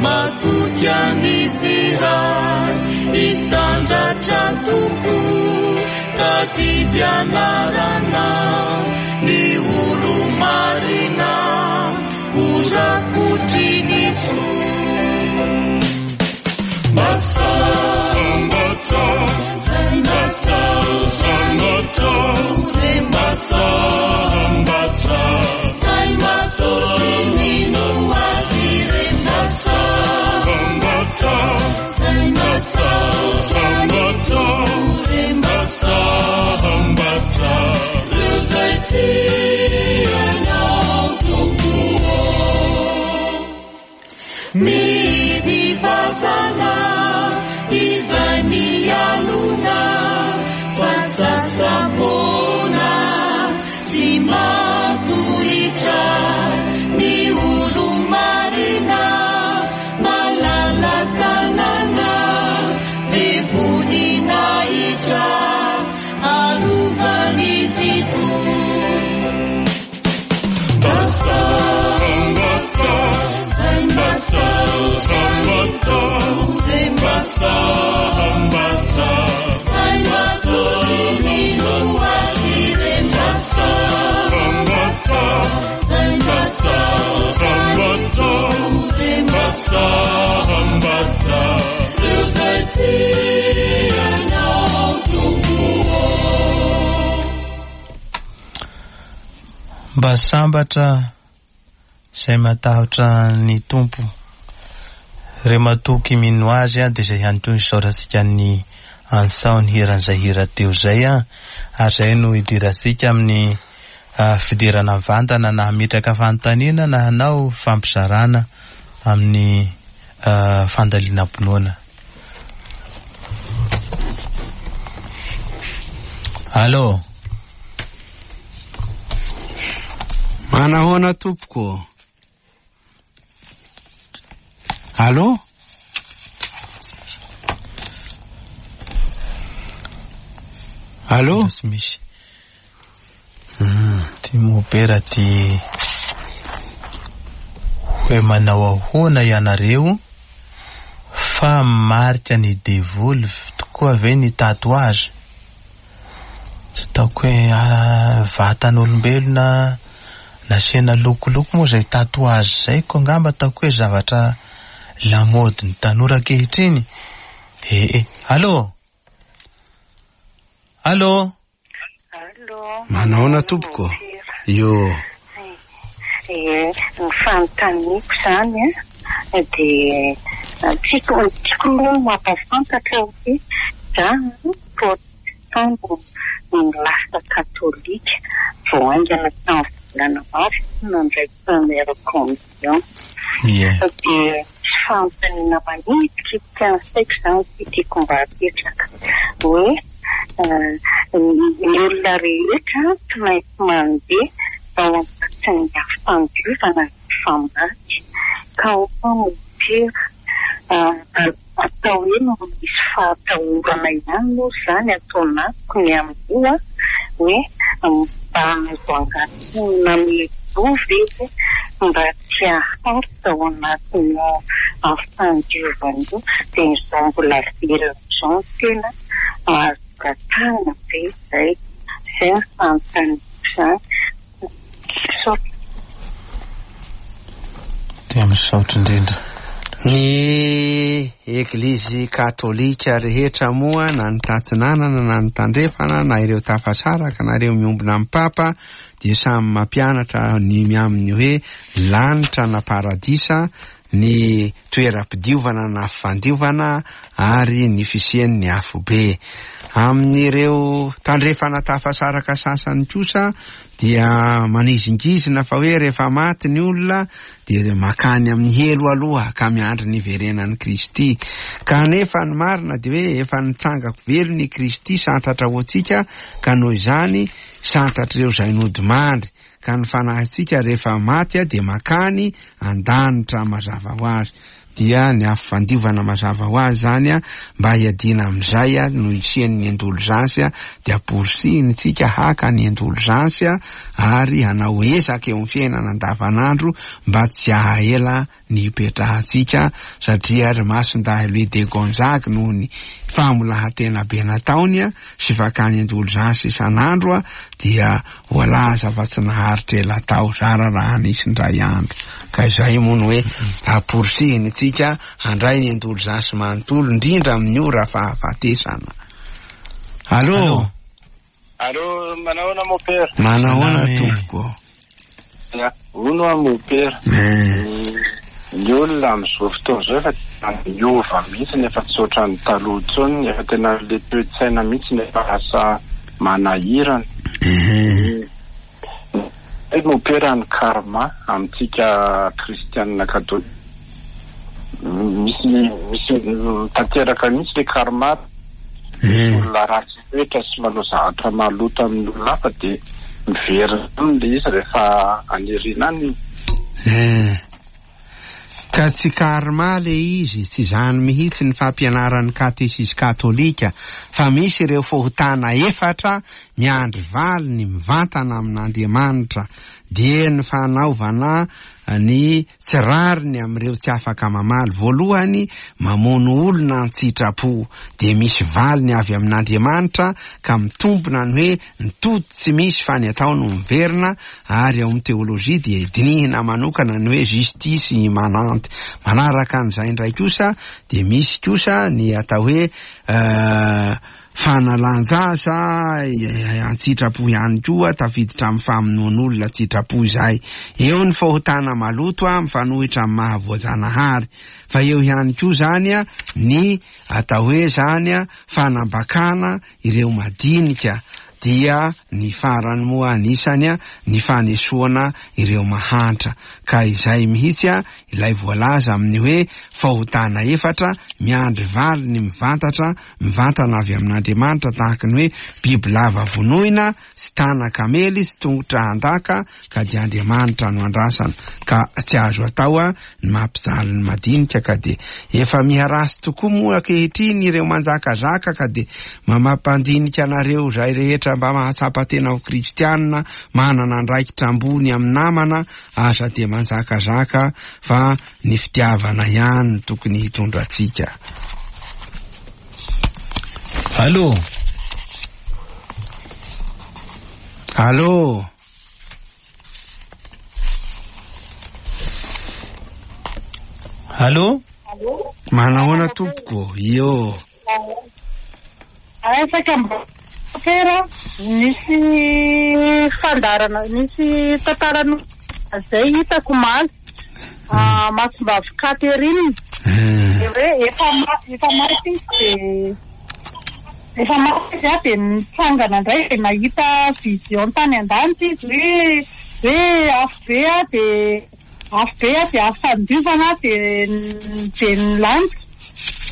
Matoky an'izy Ray isandratra Tompo tadidy anarana ny olo-marina ho rakotry ny soa. Masambatra, masambatra, masambatra, masambatra, masambatra, masambatra, ireo izay tianao Tompo. Mihidy fasana izay mialona fa sasa-poana sy matohitra ny olo-marina malala-tanana be voninahitra arovan'izy Tompo. Masambatra, masambatra, masambatra, masambatra, masambatra, masambatra, ireo izay tianao Tompo. Mba sambatra izay matahotra ny Tompo, re matoky mino azy a, dia izay ihany koa isaorantsika ny ansao ny hiran'izay hira teo izay a, ary izay no idirantsika amin'ny ah, fidirana mivantana na hametraka fanontaniana na hanao fampizarana amin'ny ah, fandalinam-pinoana. Allô, Manahoana tompoko? Allô? Allô? Tsy misy. Ty mopera ty hoe manao ahoana ianareo fa marika ny devoly tokoa ve ny tatouage? Tsy ataoko hoe ah, vatan'olombelona nasiana lokoloko moa izay tatouage izay ko angamba ataoko hoe zavatra lamaody ny tanora ankehitriny. Eh eh, allô? Allô? Allô. Manahoana tompoko? Io. Eh, ny fanontaniako izany a, dia tiako tiako aloha ny mampafantatra hoe za protestant no lasa katolika vao haingana tamin'ny volana maro nandray première communion. Ie. Dia tsy fanontaniana manitikitika ny saiko izany ty tiako mba hapetraka hoe eh, ny olona rehetra tsy maintsy mandeha ao anatin'ny fandiovana rehefa maty ka ho mopera atao hoe misy fahatahorana ihany moa izany atao anatiko ny amin'io a, hoe mba azo angatahina mialoha ve mba tsy haharitra ao anatin'io fandiovana io, dia izao mbola velona izao no tena azo angatahina be izay. Izay ny fanontaniako izany. Misaotra. Dia misaotra indrindra. Ny eglizy katolika rehetra moa na ny tatsinanana na ny tandrefana na ireo tafasaraka na ireo miombona amin'ny papa dia samy mampianatra ny amin'ny hoe lanitra na paradisa ny toeram-pidiovana na fandiovana ary ny fisian'ny afobe. Amin'ireo tandrefana tafasaraka sasany kosa dia manizingizina fa hoe rehefa maty ny olona dia makany amin'ny helo aloha ka miandry ny hiverenan'i Kristy. Kanefa ny marina dia hoe efa nitsangako velona i Kristy santatra ho antsika, ka noho izany santatr'ireo izay nodimandry. ka ny fanahintsika rehefa maty dia makany an-danitra mazava ho azy. Dia ny afo fandiovana mazava ho azy zany a, mba hiadiana amin'izay a, no hisian'ny indolzansy a, dia amporisihina isika haka ny indolzansy a, ary hanao ezaka eo amin'ny fiainana andavanandro mba tsy hahaela ny hipetrahantsika, satria ry Masindahy Louis de Gonzague noho ny famolahan-tena be nataony a, sy fakany indolzansy isan'andro a, dia voalaza fa tsy naharitra ela tao, zara raha nisy indray andro. Ka izay moa no hoe amporisihina isika handray ny indolzansy manontolo, indrindra amin'ny ora fahafatesana. Allô? Allô, manahoana mon père? Manahoana tompoko? Ya, hono aho mon père. Ny olona amin'izao fotoana izao efa miova mihitsy, efa tsy ohatran'ny taloha intsony, efa tena le toe-tsaina mihitsy efa lasa manahirana. Mon père, ny karma amintsika kristianina katolika misy misy tanteraka mihitsy le karma. Olona ratsy toetra sy manao zavatra maloto amin'ny olona hafa dia miverina aminy le izy rehefa anirina any. Ka tsy karma le izy, tsy izany mihitsy ny fampianaran'ny katesizy katolika, fa misy ireo fahotana efatra miandry valiny mivantana amin'Andriamanitra, dia ny fanaovana ny tsy rariny amin'ireo tsy afaka mamaly. Voalohany, mamono olona an-tsitrapo, dia misy valiny avy amin'Andriamanitra ka mitombina ny hoe ny tody tsy misy fa ny atao no miverina. Ary ao amin'ny teolojia dia dinihina manokana ny hoe justice immanente. Manaraka an'izay indray kosa dia misy kosa ny atao hoe fanalan-jaza an-tsitrapo ihany koa, tafiditra amin'ny famonoan'olona an-tsitrapo izay. Eo ny fahotana maloto a, mifanohitra amin'ny mahavoajanahary, fa eo ihany koa zany a, ny atao hoe zany a, fanambakana ireo madinika, dia ny farany moa anisany a, ny fanesoana ireo mahantra. Ka izay mihitsy a, ilay voalaza amin'ny hoe fahotana efatra miandry valiny mivantatra, mivantana avy amin'Andriamanitra, tahaka ny hoe biby lava vonoina, sy tana-kamely, sy tongotra handaka, ka dia Andriamanitra no andrasana. Ka tsy azo atao a, ny mampijaly ny madinika, ka dia efa miharatsy tokoa moa ankehitriny ireo manjakazaka, ka dia mamampandinika anareo izay rehetra mba mahatsapa tena ho kristianina, manana andraikitra ambony amin'ny namana, aza dia manjakazaka, fa ny fitiavana ihany no tokony hitondra antsika. Allô? Allô? Allô? Manahoana tompoko? Io. Afaka mba pera, nisy fandarana, nisy tantarano zay hitako omaly. Ah, Masimbavy Catherine. Hoe efa efa maty izy dia efa maty izy dia nitsangana indray dia nahita vision tany an-danitra izy hoe hoe afo be a, dia afo be a, dia afo fandiovana dia dia ny lanitra.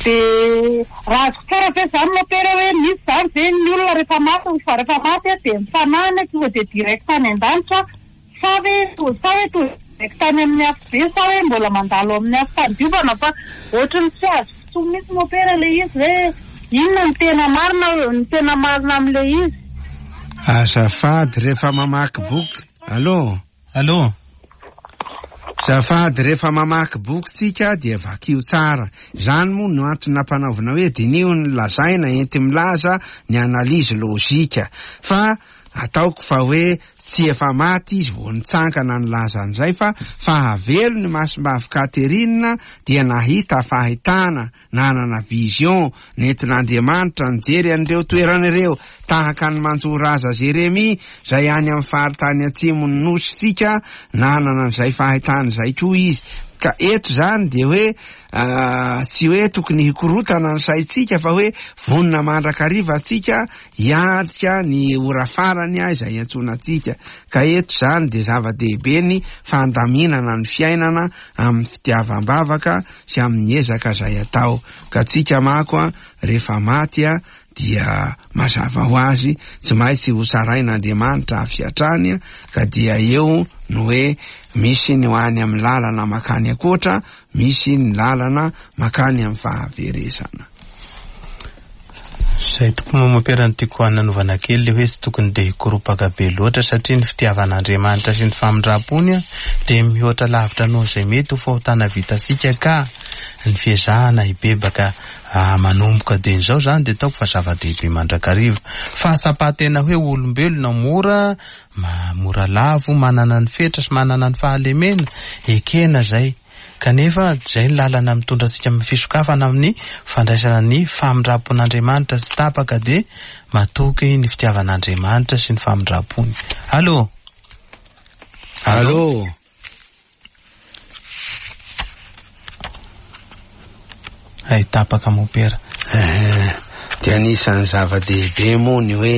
Dia raha azoko tsara ve izany mopera hoe misy izany ve ny olona rehefa maty, fa rehefa maty a dia ny fanahiny tonga dia direct any an-danitra, sa ve sa hoe tonga direct any amin'ny afo be, sa hoe mbola mandalo amin'ny afo fandiovana? Fa ohatran'ny tsy azoko intsony mihitsy mopera ilay izy hoe inona ny tena marina, ny tena marina amin'ilay izy. Azafady rehefa mamaky boky. Allô? Allô? Azafady rehefa mamaky boky tsika dia vakio tsara. Izany moa no antony nampanaovina hoe diniho ny lazaina enti milaza ny analyse logika. Fa ataoko fa hoe tsy efa maty izy vao nitsangana nilaza an'izay, fa fahavelo ny Masimbavy Catherine dia nahita fahitana, nanana vision nentin'Andriamanitra nijery an'ireo toerana ireo, tahaka ny Manjoraza Jeremia izay any amin'ny faritany atsimon'ny nositsika, nanana an'izay fahitana izay koa izy. Ka eto zany dia hoe tsy hoe tokony hikorotana ny saintsika, fa hoe vonona mandrakariva antsika hiatrika ny ora farany izay iantsoana antsika. Ka eto zany dia zava-dehibe ny fandaminana ny fiainana amin'ny fitiavam-bavaka sy amin'ny ezaka izay atao. Ka tsika manko a, rehefa maty a, dia mazava ho azy tsy maintsy ho tsarain'Andriamanitra avy hatrany, ka dia eo no hoe misy ny ho any amin'ny lalana makany ankoatra, misy ny lalana makany amin'ny fahaverezana. Zay tokoa moa mompera no tiako hananovana kely le hoe tsy tokony de hikoropaka be loatra, satria ny fitiavan'Andriamanitra sy ny famindram-pony dia mihoatra lavitra noho izay mety ho fahotana vitantsika, ka ny fiezahana hibebaka manomboka dia izao zany dia ataoko fa zava-dehibe mandrakariva. Fahatsapatena hoe olombelona mora mora lavo, manana ny fetra sy manana ny fahalemena, ekena zay. Kanefa zay ny lalana mitondra antsika amin'ny fisokafana amin'ny fandraisana ny famindram-pon'Andriamanitra tsy tapaka, dia matoky ny fitiavan'Andriamanitra sy ny famindram-pony. Allô? Allô? Ay, tapaka mompera. Dia anisan'ny zava-dehibe moa ny hoe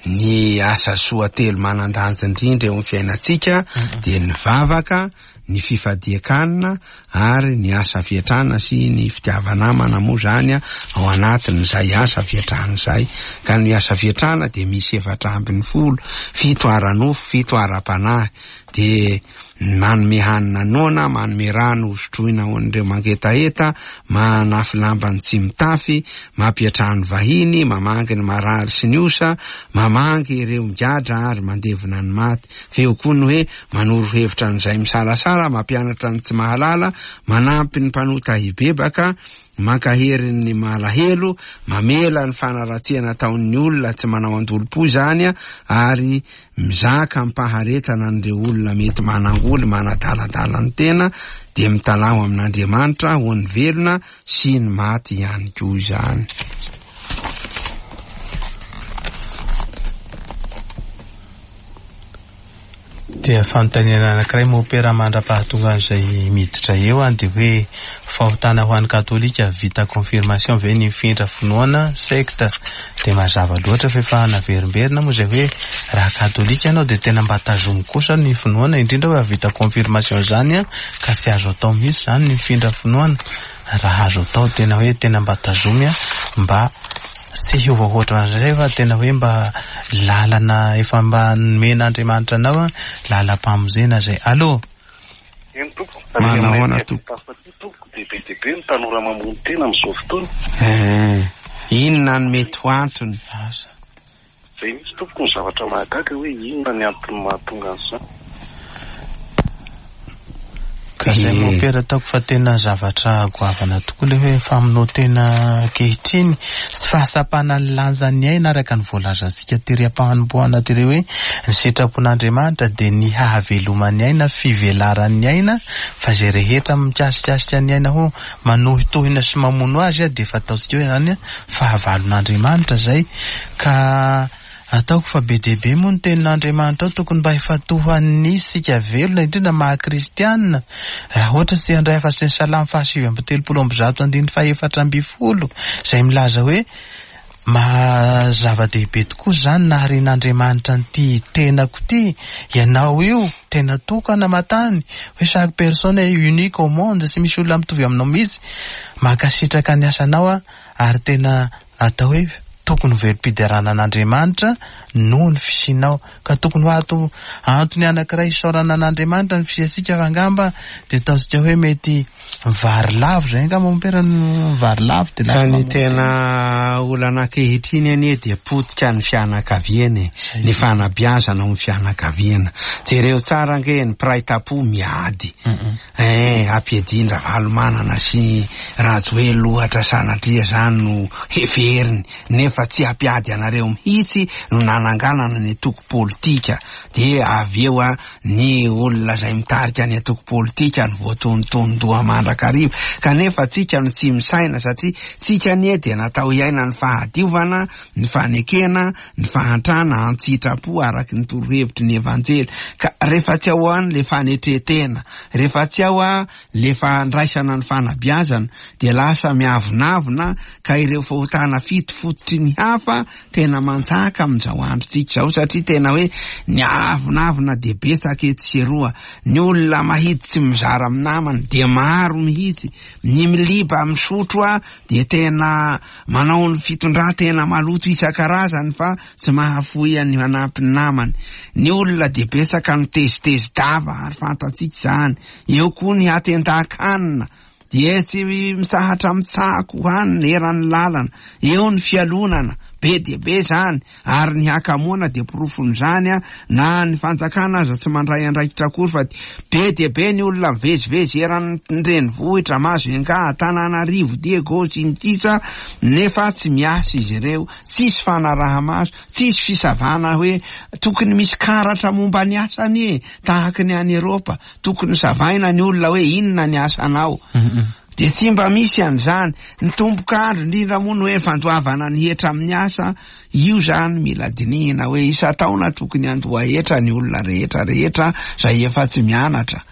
ny asa soa telo manan-danja indrindra eo amin'ny fiainantsika dia ny vavaka, ny fifadian-kanina ary ny asa fiatrana sy ny fitiava-namana moa zany ao anatin'izay asa fiatrana izay. Ka ny asa fiatrana dia misy efatra ambin'ny folo, fito ara-nofo, fito ara-panahy, dia manome hanina noana, manome rano hosotroina ho an'ireo mangetaheta, manafy lamba ny tsy mitafy, mampiantrano vahiny, mamangy ny marary sy ny osa, mamangy ireo migadra ary mandevina ny maty. Fa eo koa ny hoe manoro hevitra an'izay misalasala, mampianatra ny tsy mahalala, manampy ny mpanota hibebaka, mankahery ny malahelo, mamela ny fanaratsiana ataon'ny olona tsy manao andolom-po izany, ary mizaka am-paharetana an'ireo olona mety manangoly, manadaladala ny tena, dia mitalaho amin'Andriamanitra ho an'ny velona sy ny maty ihany koa izany. Dia fanontaniana anankiray mompera mandra-pahatonga an'izay miditra eo an, dia hoe fahotana ho an'ny katolika vita confirmation ve ny mifindra finoana sekta? Dia mazava loatra fa efa naverimberina moa izay hoe raha katolika ianao dia tena mba tazomy kosa ny finoana, indrindra hoe vita confirmation zany an, ka tsy azo atao mihitsy zany ny mifindra finoana. Raha azo atao tena hoe tena mba tazomy an, mba tsy hiova ohatran'izay fa tena hoe mba lalana efa mba nomen'Andriamanitra anao an, lalam-pamonjena zay. Allô? Eny tompoko. Manahoana tompoko? Tompoko, dia be dia be ny tanora mamono tena amin'izao fotoana. Eh, inona no mety ho antony? Asa. Zay mihitsy tompoko ny zavatra mahagaga hoe inona ny antony mahatonga an'izany. Ka zay mompera ataoko fa tena zavatra goavana tokoa le hoe famonoan-tena ankehitriny sy fahatsapana ny lanjan'ny aina araka ny voalazantsika tery am-panombohana tery hoe ny sitrapon'Andriamanitra dia ny hahaveloman'ny aina, fivelaran'ny aina, fa izay rehetra mikasikasika ny aina ho manohitohina sy mamono azy dia efa ataontsika hoe zany fahavalon'Andriamanitra zay. Ka ataoko fa be dia be moa ny tenin'Andriamanitra ao, tokony mba hifatohan'ny isika velona, indrindra maha kristianina. Raha ohatra tsy handray afa-tsy ny salamo fahasivy amby telopolo amby zato andininy fahefatra amby folo izay milaza hoe maha zava-dehibe tokoa zany naharian'Andriamanitra an'ity tenako ity, ianao io tena tokana matany, hoe chaque personne est unique au monde, tsy misy olona mitovy aminao mihitsy, mankasitraka ny asanao a, ary tena atao hoe tokony ho velom-piderana an'Andriamanitra noho ny fisianao. Ka tokony ho ato antony anankiray isaorana an'Andriamanitra ny fisiantsika, fa angamba dia ataontsika hoe mety vary lavo zay angamba mompera no vary lavo dia Ka lasa ny mamono tena olana ankehitriny anie dia potika ny fianakaviana e, ny fanabeazana ao amin'ny fianakaviana. Jereo tsara ange ny mpiray tampo miady. Eh, ampiadian-dRavalomanana sy Rajoelina ohatra sanatria zany no heveriny, nefa tsy hampiady anareo mihitsy no nananganana ny antoko politika. Dia avy eo a, ny olona izay mitarika ny antoko politika no voatonontonon-doha mandrakariva. Kanefa tsika no tsy misaina, satria tsika anie dia natao hiaina ny fahadiovana, ny fanekena, ny fahantrana an-tsitrapo araky ny torohevitry ny Evanjely. Ka rehefa tsy ao any le fanetretena, rehefa tsy ao a le fandraisana ny fanabeazana, dia lasa miavonavona, ka ireo fahotana fito fototry ny hafa tena manjaka amin'izao androntsika izao, satria tena hoe ny avonavona dia betsaka etsy sy eroa, ny olona mahitsy tsy mizara amin'ny namany dia maro mihitsy, ny miliba misotro a dia tena manao ny fitondran-tena maloto isan-karazany fa tsy mahafoy ny manampy ny namany, ny olona dia betsaka no tezitezi-dava ary fantatsika izany, eo koa ny hatendan-kanina dia tsy misahatra mitsako hanina eran'ny lalana, eo ny fialonana be dia be zany, ary ny hakamoana dia porofon'izany a, na ny fanjakana aza tsy mandray andraikitra akory fa be dia be ny olona mivezivezy eran'ny renivohitra Majunga, Antananarivo, Diego sy ny sisa, nefa tsy miasa izy ireo, tsisy fanaraha-maso, tsisy fisavana hoe tokony misy karatra momba ny asany e, tahaka ny any Eropa, tokony savaina ny olona hoe inona ny asanao. Dia tsy mba misy an'izany. Ny tombok'andro indrindra moa no hoe fandoavana ny hetra amin'ny asa, io zany mila dinihina hoe isan-taona tokony handoa hetra ny olona rehetra rehetra izay efa tsy mianatra,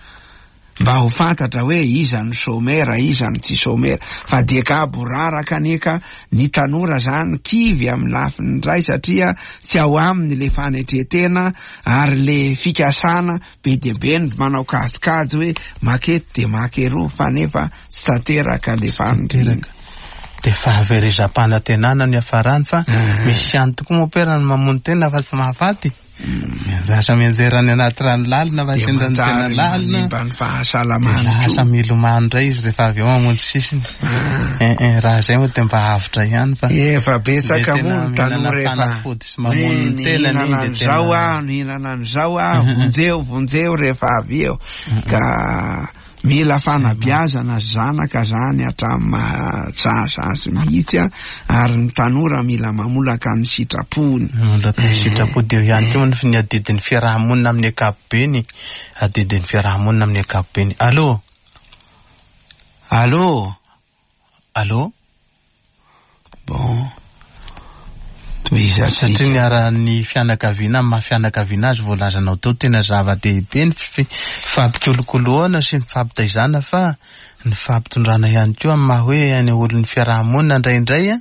mba ho fantatra hoe iza no somera, iza no tsy somera. Fa dia gaboraraka aneka ny tanora zany kivy amin'ny lafiny indray, satria tsy ao aminy le fanetretena ary le fikasana be dia be ny manao kajikajy hoe makety dia makeroa, fa nefa tsy tanteraka le faniriana. Dia fahaverezam-panantenana ny hafarany, fa misy ihany tokoa moa pera ny mamono tena fa tsy mahafaty. Mianjatra mianjera any anaty rano lalina fa sendra ny tena lalina. Manimba ny fahasalamana. Lasa milomano indray izy rehefa avy eo mamonjy sisiny. Eh eh, raha izay moa dia mba avotra ihany fa efa betsaka moa ny tanora efa fanafody sy mamono ny tenany dia tena aho, nihinana an'izao aho, vonjeo vonjeo rehefa avy eo. Ka mila fanabeazana zanaka zany hatramin'ny mahazaza azy mihitsy a, ary ny tanora mila mamolaka ny sitrapony. Mamolaka ny sitrapo dia eo ihany koa ny adidin'ny fiarahamonina amin'ny ankapobeny, adidin'ny fiarahamonina amin'ny ankapobeny. Allô? Allô? Allô? Bon. Tohizatsika. Satria niara-ny fianakaviana amin'ny maha fianakaviana azy voalazanao teo, tena zava-dehibe ny fi-, fampikolokoloana sy ny fampitaizana, fa ny fampitondrana ihany koa amin'ny maha hoe any olon'ny fiarahamonina indraindray a,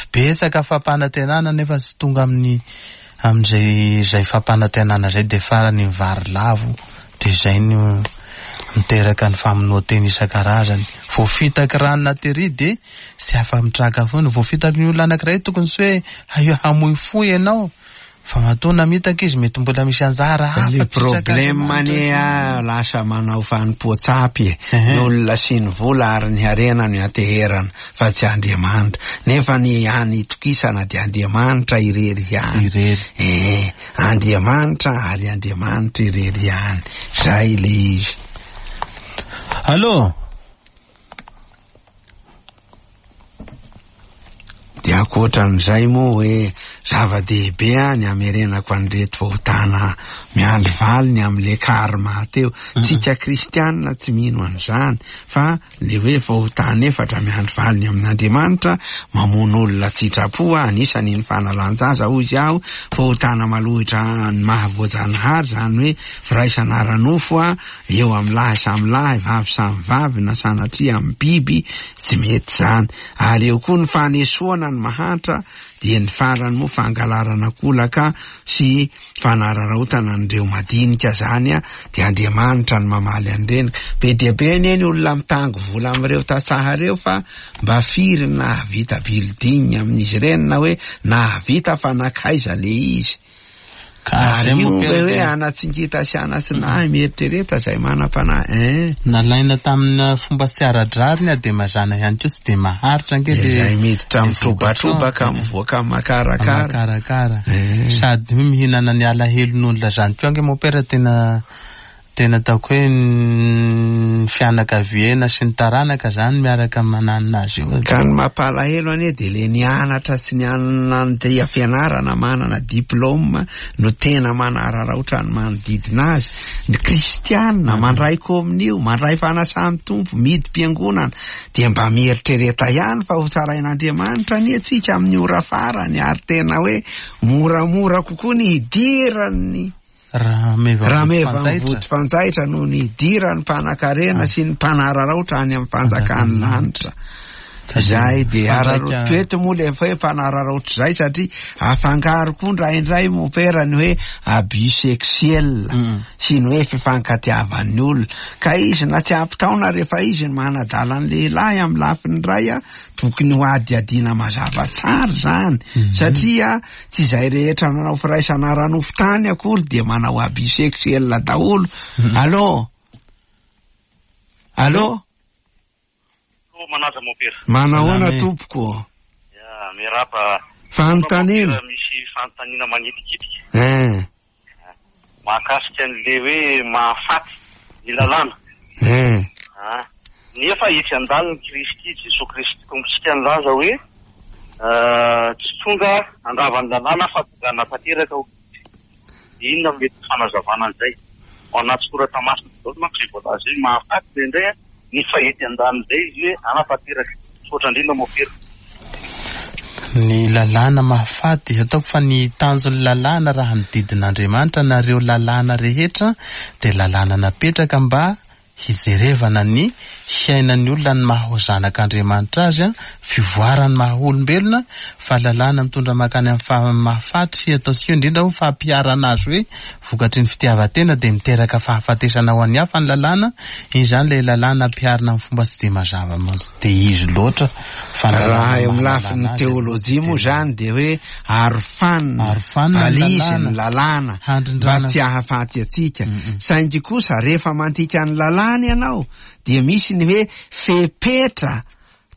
betsaka fampanantenana nefa tsy tonga amin'ny, amin'izay izay fampanantenana izay, dia farany mivary lavo, dia izay no miteraka ny famonoan-tena isan-karazany. Voafitaky rano tery dia tsy afa-mitraka foana. Voafitaky ny olona anankiray tokony tsy hoe haio hamoy fo ianao, fa matoa namitaka izy mety mbola misy anjara hafa. Le tsy problème sakafo anie a, lasa manao fanompoan-tsapy e. Ehe. Ny olona sy ny vola ary ny harena no ianteherana fa tsy Andriamanitra, nefa ny hany itokisana dia Andriamanitra irery ihany. Irery. Eh, Andriamanitra ary Andriamanitra irery ihany. Zay le izy. Allô? Dia ankoatran'izay moa hoe zava-dehibe a ny amerenako an'ireto fahotana miandry valiny amin'le karma teo. Tsika kristianina tsy mino an'izany, fa le hoe fahotana efatra miandry valiny amin'Andriamanitra, mamono olona tsitrapo a, anisany ny fanalan-jaza hoy izy aho, fahotana malohitra ny mahavoajanahary, zany hoe firaisana ara-nofo a, eo amin'ny lahy samy lahy, vavy samy vavy, na sanatria amin'ny biby, tsy mety zany. Ary eo koa ny fanesoana ny mahantra, dia ny farany moa fangalarana kolaka sy fanararaotana an'ireo madinika zany a, dia Andriamanitra no mamaly an'ireny. Be dia be anie ny olona mitango vola amin'ireo tantsaha ireo, fa mba firy no nahavita building amin'izy ireny, na hoe nahavita fa nankaiza le izy. Ka Ary zay io moa hoe tena hoe anatsingita sy anatsinahy mieritrereta izay manam-panahy, eh. Nalaina tamina fomba tsy ara-drariny a, dia mazàna ihany koa tsy dia maharitra ange le Izay miditra le mitrobatrobaka, vokatra. mivoaka makarakara. Makarakara. Eh. Sady hoe mihinana ny alahelon'olona zany koa ange moa pera tena, tena ataoko hoe ny fianakaviana sy ny taranaka zany miaraka mananona azy io. Ka ny mampalahelo anie dia le nianatra sy nianatra fianarana manana diplôme no tena manararaotra ny manodidina azy. Ny kristianina mandray kominio, mandray fanasan'ny Tompo, midi-piangonana, dia mba mieritrereta ihany fa ho tsarain'Andriamanitra anie tsika amin'ny ora farany, ary tena hoe moramora kokoa ny hidiran'ny Rameva Rameva mifanjaitra. mivody fanjaitra no nidiran'ny mpanankarena sy ny mpanararaotra any amin'ny fanjakan'ny lanitra. Zay de araraoty eto moa le hoe mpanararaotra zay, satria afangaro koa indraindray mopera ny hoe abus sexuel sy ny hoe fifankatiavan'ny olona, ka izy na tsy ampy taona rehefa izy ny manadala ny lehilahy amin'ny lafiny iray a, tokony ho adiadiana mazava tsara zany, satria tsy izay rehetra nanao firaisana ara-nofo tany akory de manao abus sexuel daholo. Allô, allô. Manaja mopera. Manahoana tompoko? Ya, miarahaba. Fanontaniana. Misy fanontaniana manitikitika. Eh. Mahakasika an'le hoe mahafaty ny lalàna. Eh. Ah. Nefa etsy an-daniny Kristy, Jesoa Kristy Tompontsika nilaza hoe tsy tonga handrava ny lalàna fa tonga hanatanteraka. Inona no mety fanazavana an'izay? Ao anaty soratra masina daholo manko izay voalaza hoe mahafaty indraindray a, nefa etsy an-danin'izay izy hoe hanatanteraka. Misaotra indrindra mopera. Ny lalàna mahafaty, ataoko fa ny tanjon'ny lalàna raha ny didin'Andriamanitra na ireo lalàna rehetra dia lalàna napetraka mba hijerevana ny fiainan'ny olona ny maha ho zanak'Andriamanitra azy, fivoaran'ny maha olombelona, fa lalàna mitondra mankany amin'ny faha-, mahafaty sy ataontsika indrindra ho fampiharana azy hoe vokatry ny fitiavan-tena dia miteraka fahafatesana ho an'ny hafa ny lalàna. Iny izany ilay lalàna ampiharina amin'ny fomba tsy dia mazava dia izy loatra. Fa ny Raha lalàna eo amin'ny maha lafiny lalàna azy teolojia moa izany dia hoe arofanina, Arofanina ny balizy ny lalàna. lalàna mba Handrindrana. tsy hahafaty antsika. Saingy kosa rehefa mandika ny lalàna ianao dia misy ny hoe fepetra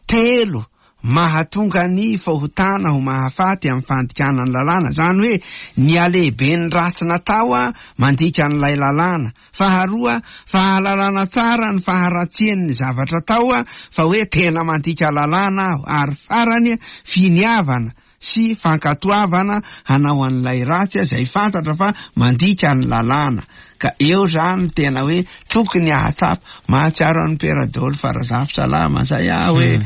telo mahatonga ny fahotana ho mahafaty amin'ny fandikana ny lalàna. Izany hoe ny halehiben'ny ratsy natao a mandika an'ilay lalàna. Faharoa, fahalalana tsara ny faharatsian'ny zavatra atao a, fa hoe tena mandika lalàna aho. Ary farany, finiavana sy fankatoavana hanao an'ilay ratsy izay fantatra fa mandika ny lalàna. Ka eo zany tena hoe tokony hahatsapa. Mahatsiaro an'ny Père Adolphe Razafintsalama zay aho hoe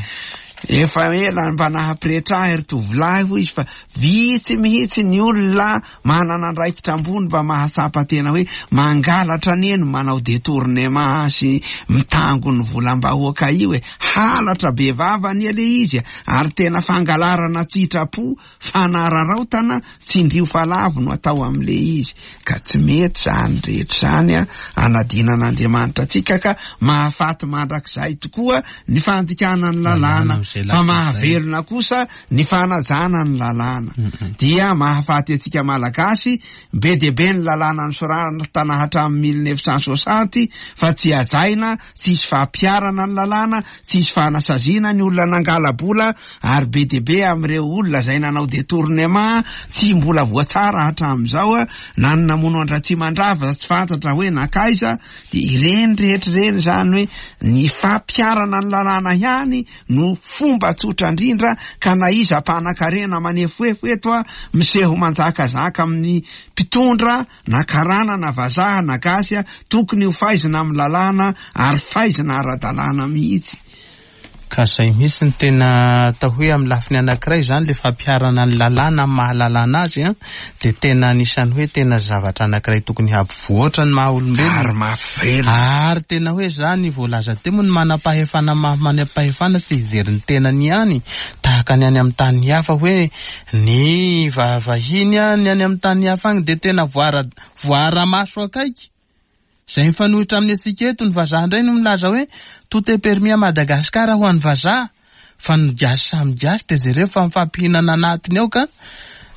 efa ela mba nahapretra ahy ry tovolahy hoy izy, fa vitsy mihitsy ny olona manana andraikitra ambony mba mahatsapa tena hoe mangalatra anie no manao détournement sy mitango ny volam-bahoaka io e. Halatra be vava anie le izy, ary tena fangalarana tsitrapo, fanararaotana tsindrio falavo no atao amin'le izy. Ka tsy mety zany rehetra zany a, anadinan'Andriamanitra antsika, ka mahafaty mandrakizay tokoa ny fandikana ny lalàna, fa mahavelona kosa ny fanajana ny lalàna. Dia mahafaty antsika Malagasy be dia be ny lalàna nosoratana hatramin'ny mille neuf cent soixante, fa tsy hajaina, tsisy fampiharana ny lalàna, tsisy fanasaziana ny olona nangala-bola, ary be dia be amin'ireo olona izay nanao détournement tsy mbola voatsara hatramin'izao a, na ny namono an-dRatsimandrava tsy fantatra hoe nankaiza. Dia ireny rehetra ireny zany hoe ny fampiharana ny lalàna ihany no fomba tsotra indrindra, ka na iza mpanan-karena manefoefo eto a, miseho manjakazaka amin'ny mpitondra na karana na vazaha na gasy a, tokony ho faizina amin'ny lalàna ary faizina ara-dalàna mihitsy. Ka zay mihitsy ny tena atao hoe amin'ny lafiny anankiray zany le fampiharana ny lalàna amin'ny maha lalàna azy a, dia tena anisan'ny hoe tena zavatra anankiray tokony hampivoatra ny maha olombelona. Ary mahavelona. Ary tena hoe zany voalaza teo moa ny manam-pahefana maha manam-pahefana tsy hijery ny tenany ihany, tahaka ny any amin'ny tany hafa hoe ny va-, vahiny a, ny any amin'ny tany hafa agny dia tena voara-, voara-maso akaiky. Izay mifanohitra amin'ny antsika eto, ny vazaha indray no milaza hoe tout est permis à Madagascar ho an'ny vazaha, fa ny gasy samy gasy dia jereo fa mifampihinana anatiny ao. Ka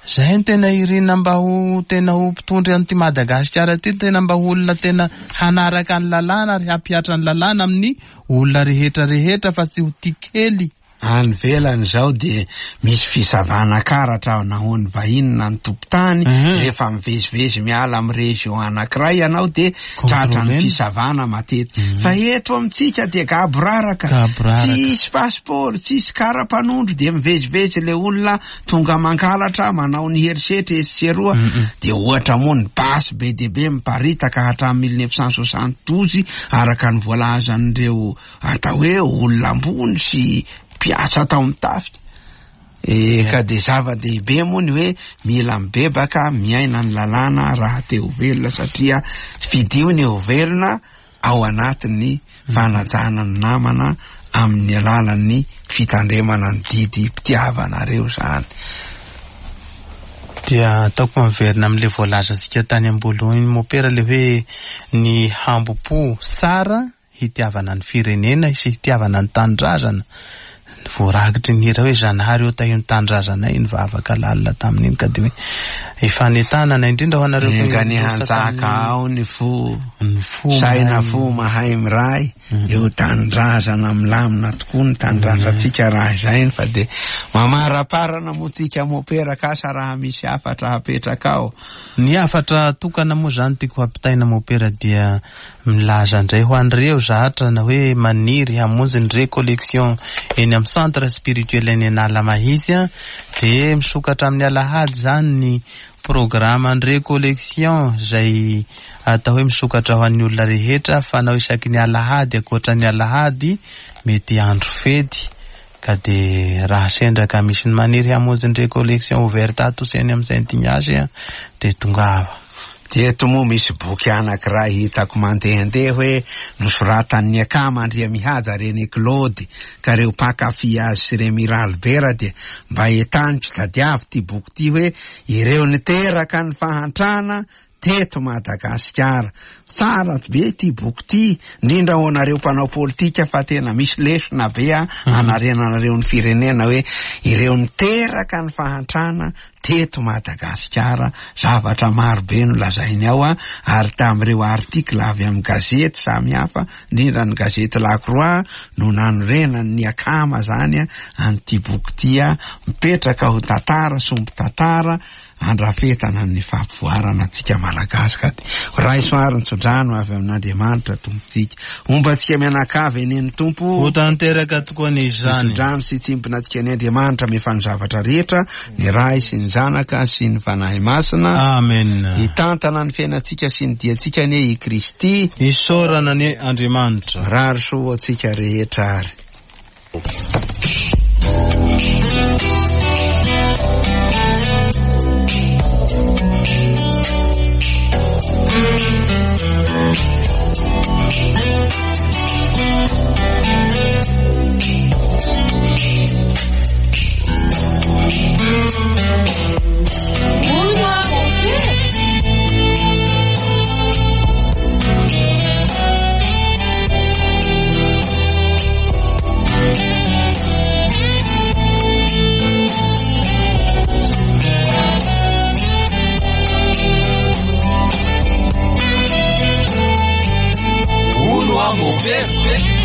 zay no tena irina mba ho tena ho mpitondra an'ity Madagasikara ity, tena mba ho olona tena hanaraka ny lalàna ary hampihatra ny lalàna amin'ny olona rehetra rehetra fa tsy ho tia kely. Any ivelany izao dia misy fisavana karatra na ho an'ny vahiny na ny tompon-tany. Mhm. Rehefa mivezivezy miala amin'ny région anankiray ianao dia tratra ny Contrôlena. fisavana matetika. Mhm. Fa eto amintsika dia gaboraraka. Gaboraraka. Tsisy passeport, tsisy kara-panondro, dia mivezivezy le olona tonga mangalatra, manao ny herisetra etsy sy eroa. Mhm. Dia ohatra moa ny basy be dia be miparitaka hatramin'ny mille neuf cent soixante-douze araka ny voalazan'ireo atao hoe olona ambony sy mpiasa tao amin'ny tafika. E, ka dia zava-dehibe moa ny hoe mila mibebaka miaina ny lalàna raha te ho velona, satria fidio ny ho velona ao anatin'ny fanajana ny namana amin'ny alalan'ny fitandremana ny didim-pitiavanareo zany. Dia ataoko miverina amin'ilay voalazantsika tany am-boalohany mopera, le hoe ny hambom-po tsara hitiavana ny firenena sy hitiavana ny tanindrazana. Voarakitry ny hira hoe Zanahary eo tahio ny tanindrazanay, ny vavaka lalina tamin'iny, ka dia hoe ifanetanana indrindra ho anareo Enga ny hanjaka ao ny fo, ny fo saina mahay- fo mahay miray, eo tanindrazana milamina tokoa ny tanindrazantsika raha izay, fa dia mamaraparana moa tsika mopera kasa raha misy hafatra hapetraka ao. Ny hafatra tokana moa zany tiako hampitaina mopera dia milaza indray ho an'ireo zatra na hoe maniry hamonjy ny récollection eny amin'ny centre spirituel eny Analamahitsy a, dia misokatra amin'ny alahady zany ny programme ny récollection izay atao hoe misokatra ho an'ny olona rehetra, fanao isaky ny alahady. Ankoatra ny alahady mety andro fety, ka dia raha sendra ka misy ny maniry hamonjy ny récollection ouverte ato sy eny amin'ny Saint Ignace a, dia tongava. Dia eto moa misy boky anankiray hitako mandehandeha hoe nosoratan'ny akama Andriamihaja René Claude, ka reo mpankafy azy sy Remy Ralibera dia mba entaniko tadiavo ty boky ty hoe ireo niteraka ny fahantrana teto Madagasikara. Tsara be ty boky ty, indrindra ho anareo mpanao politika, fa tena misy lesona be a anarenanareo ny firenena hoe ireo niteraka ny fahantrana teto Madagasikara. Zavatra maro be no lazainy ao a, ary tamin'ireo article avy amin'ny gazety samihafa, indrindra ny gazety La Croix no nanorenany ny akama zany a an'ity boky ty a, mipetraka ho tantara, somby tantara andrafetana ny fampivoarana antsika Malagasy. Ka raiso ary ny tsodrano avy amin'Andriamanitra Tompontsika, homba antsika mianakavy eny ny Tompo. Ho tanteraka tokoa ny izany. Tsodrano sy tsimpona antsika ny Andriamanitra mefa ny zavatra rehetra, ny Ray sy ny Zanaka sy ny Fanahy Masina. Amen. Hitantana ny fiainantsika sy ny diantsika anie i Kristy. Isaorana anie Andriamanitra. Rary soa ho antsika rehetra ary. Hono aho mopera.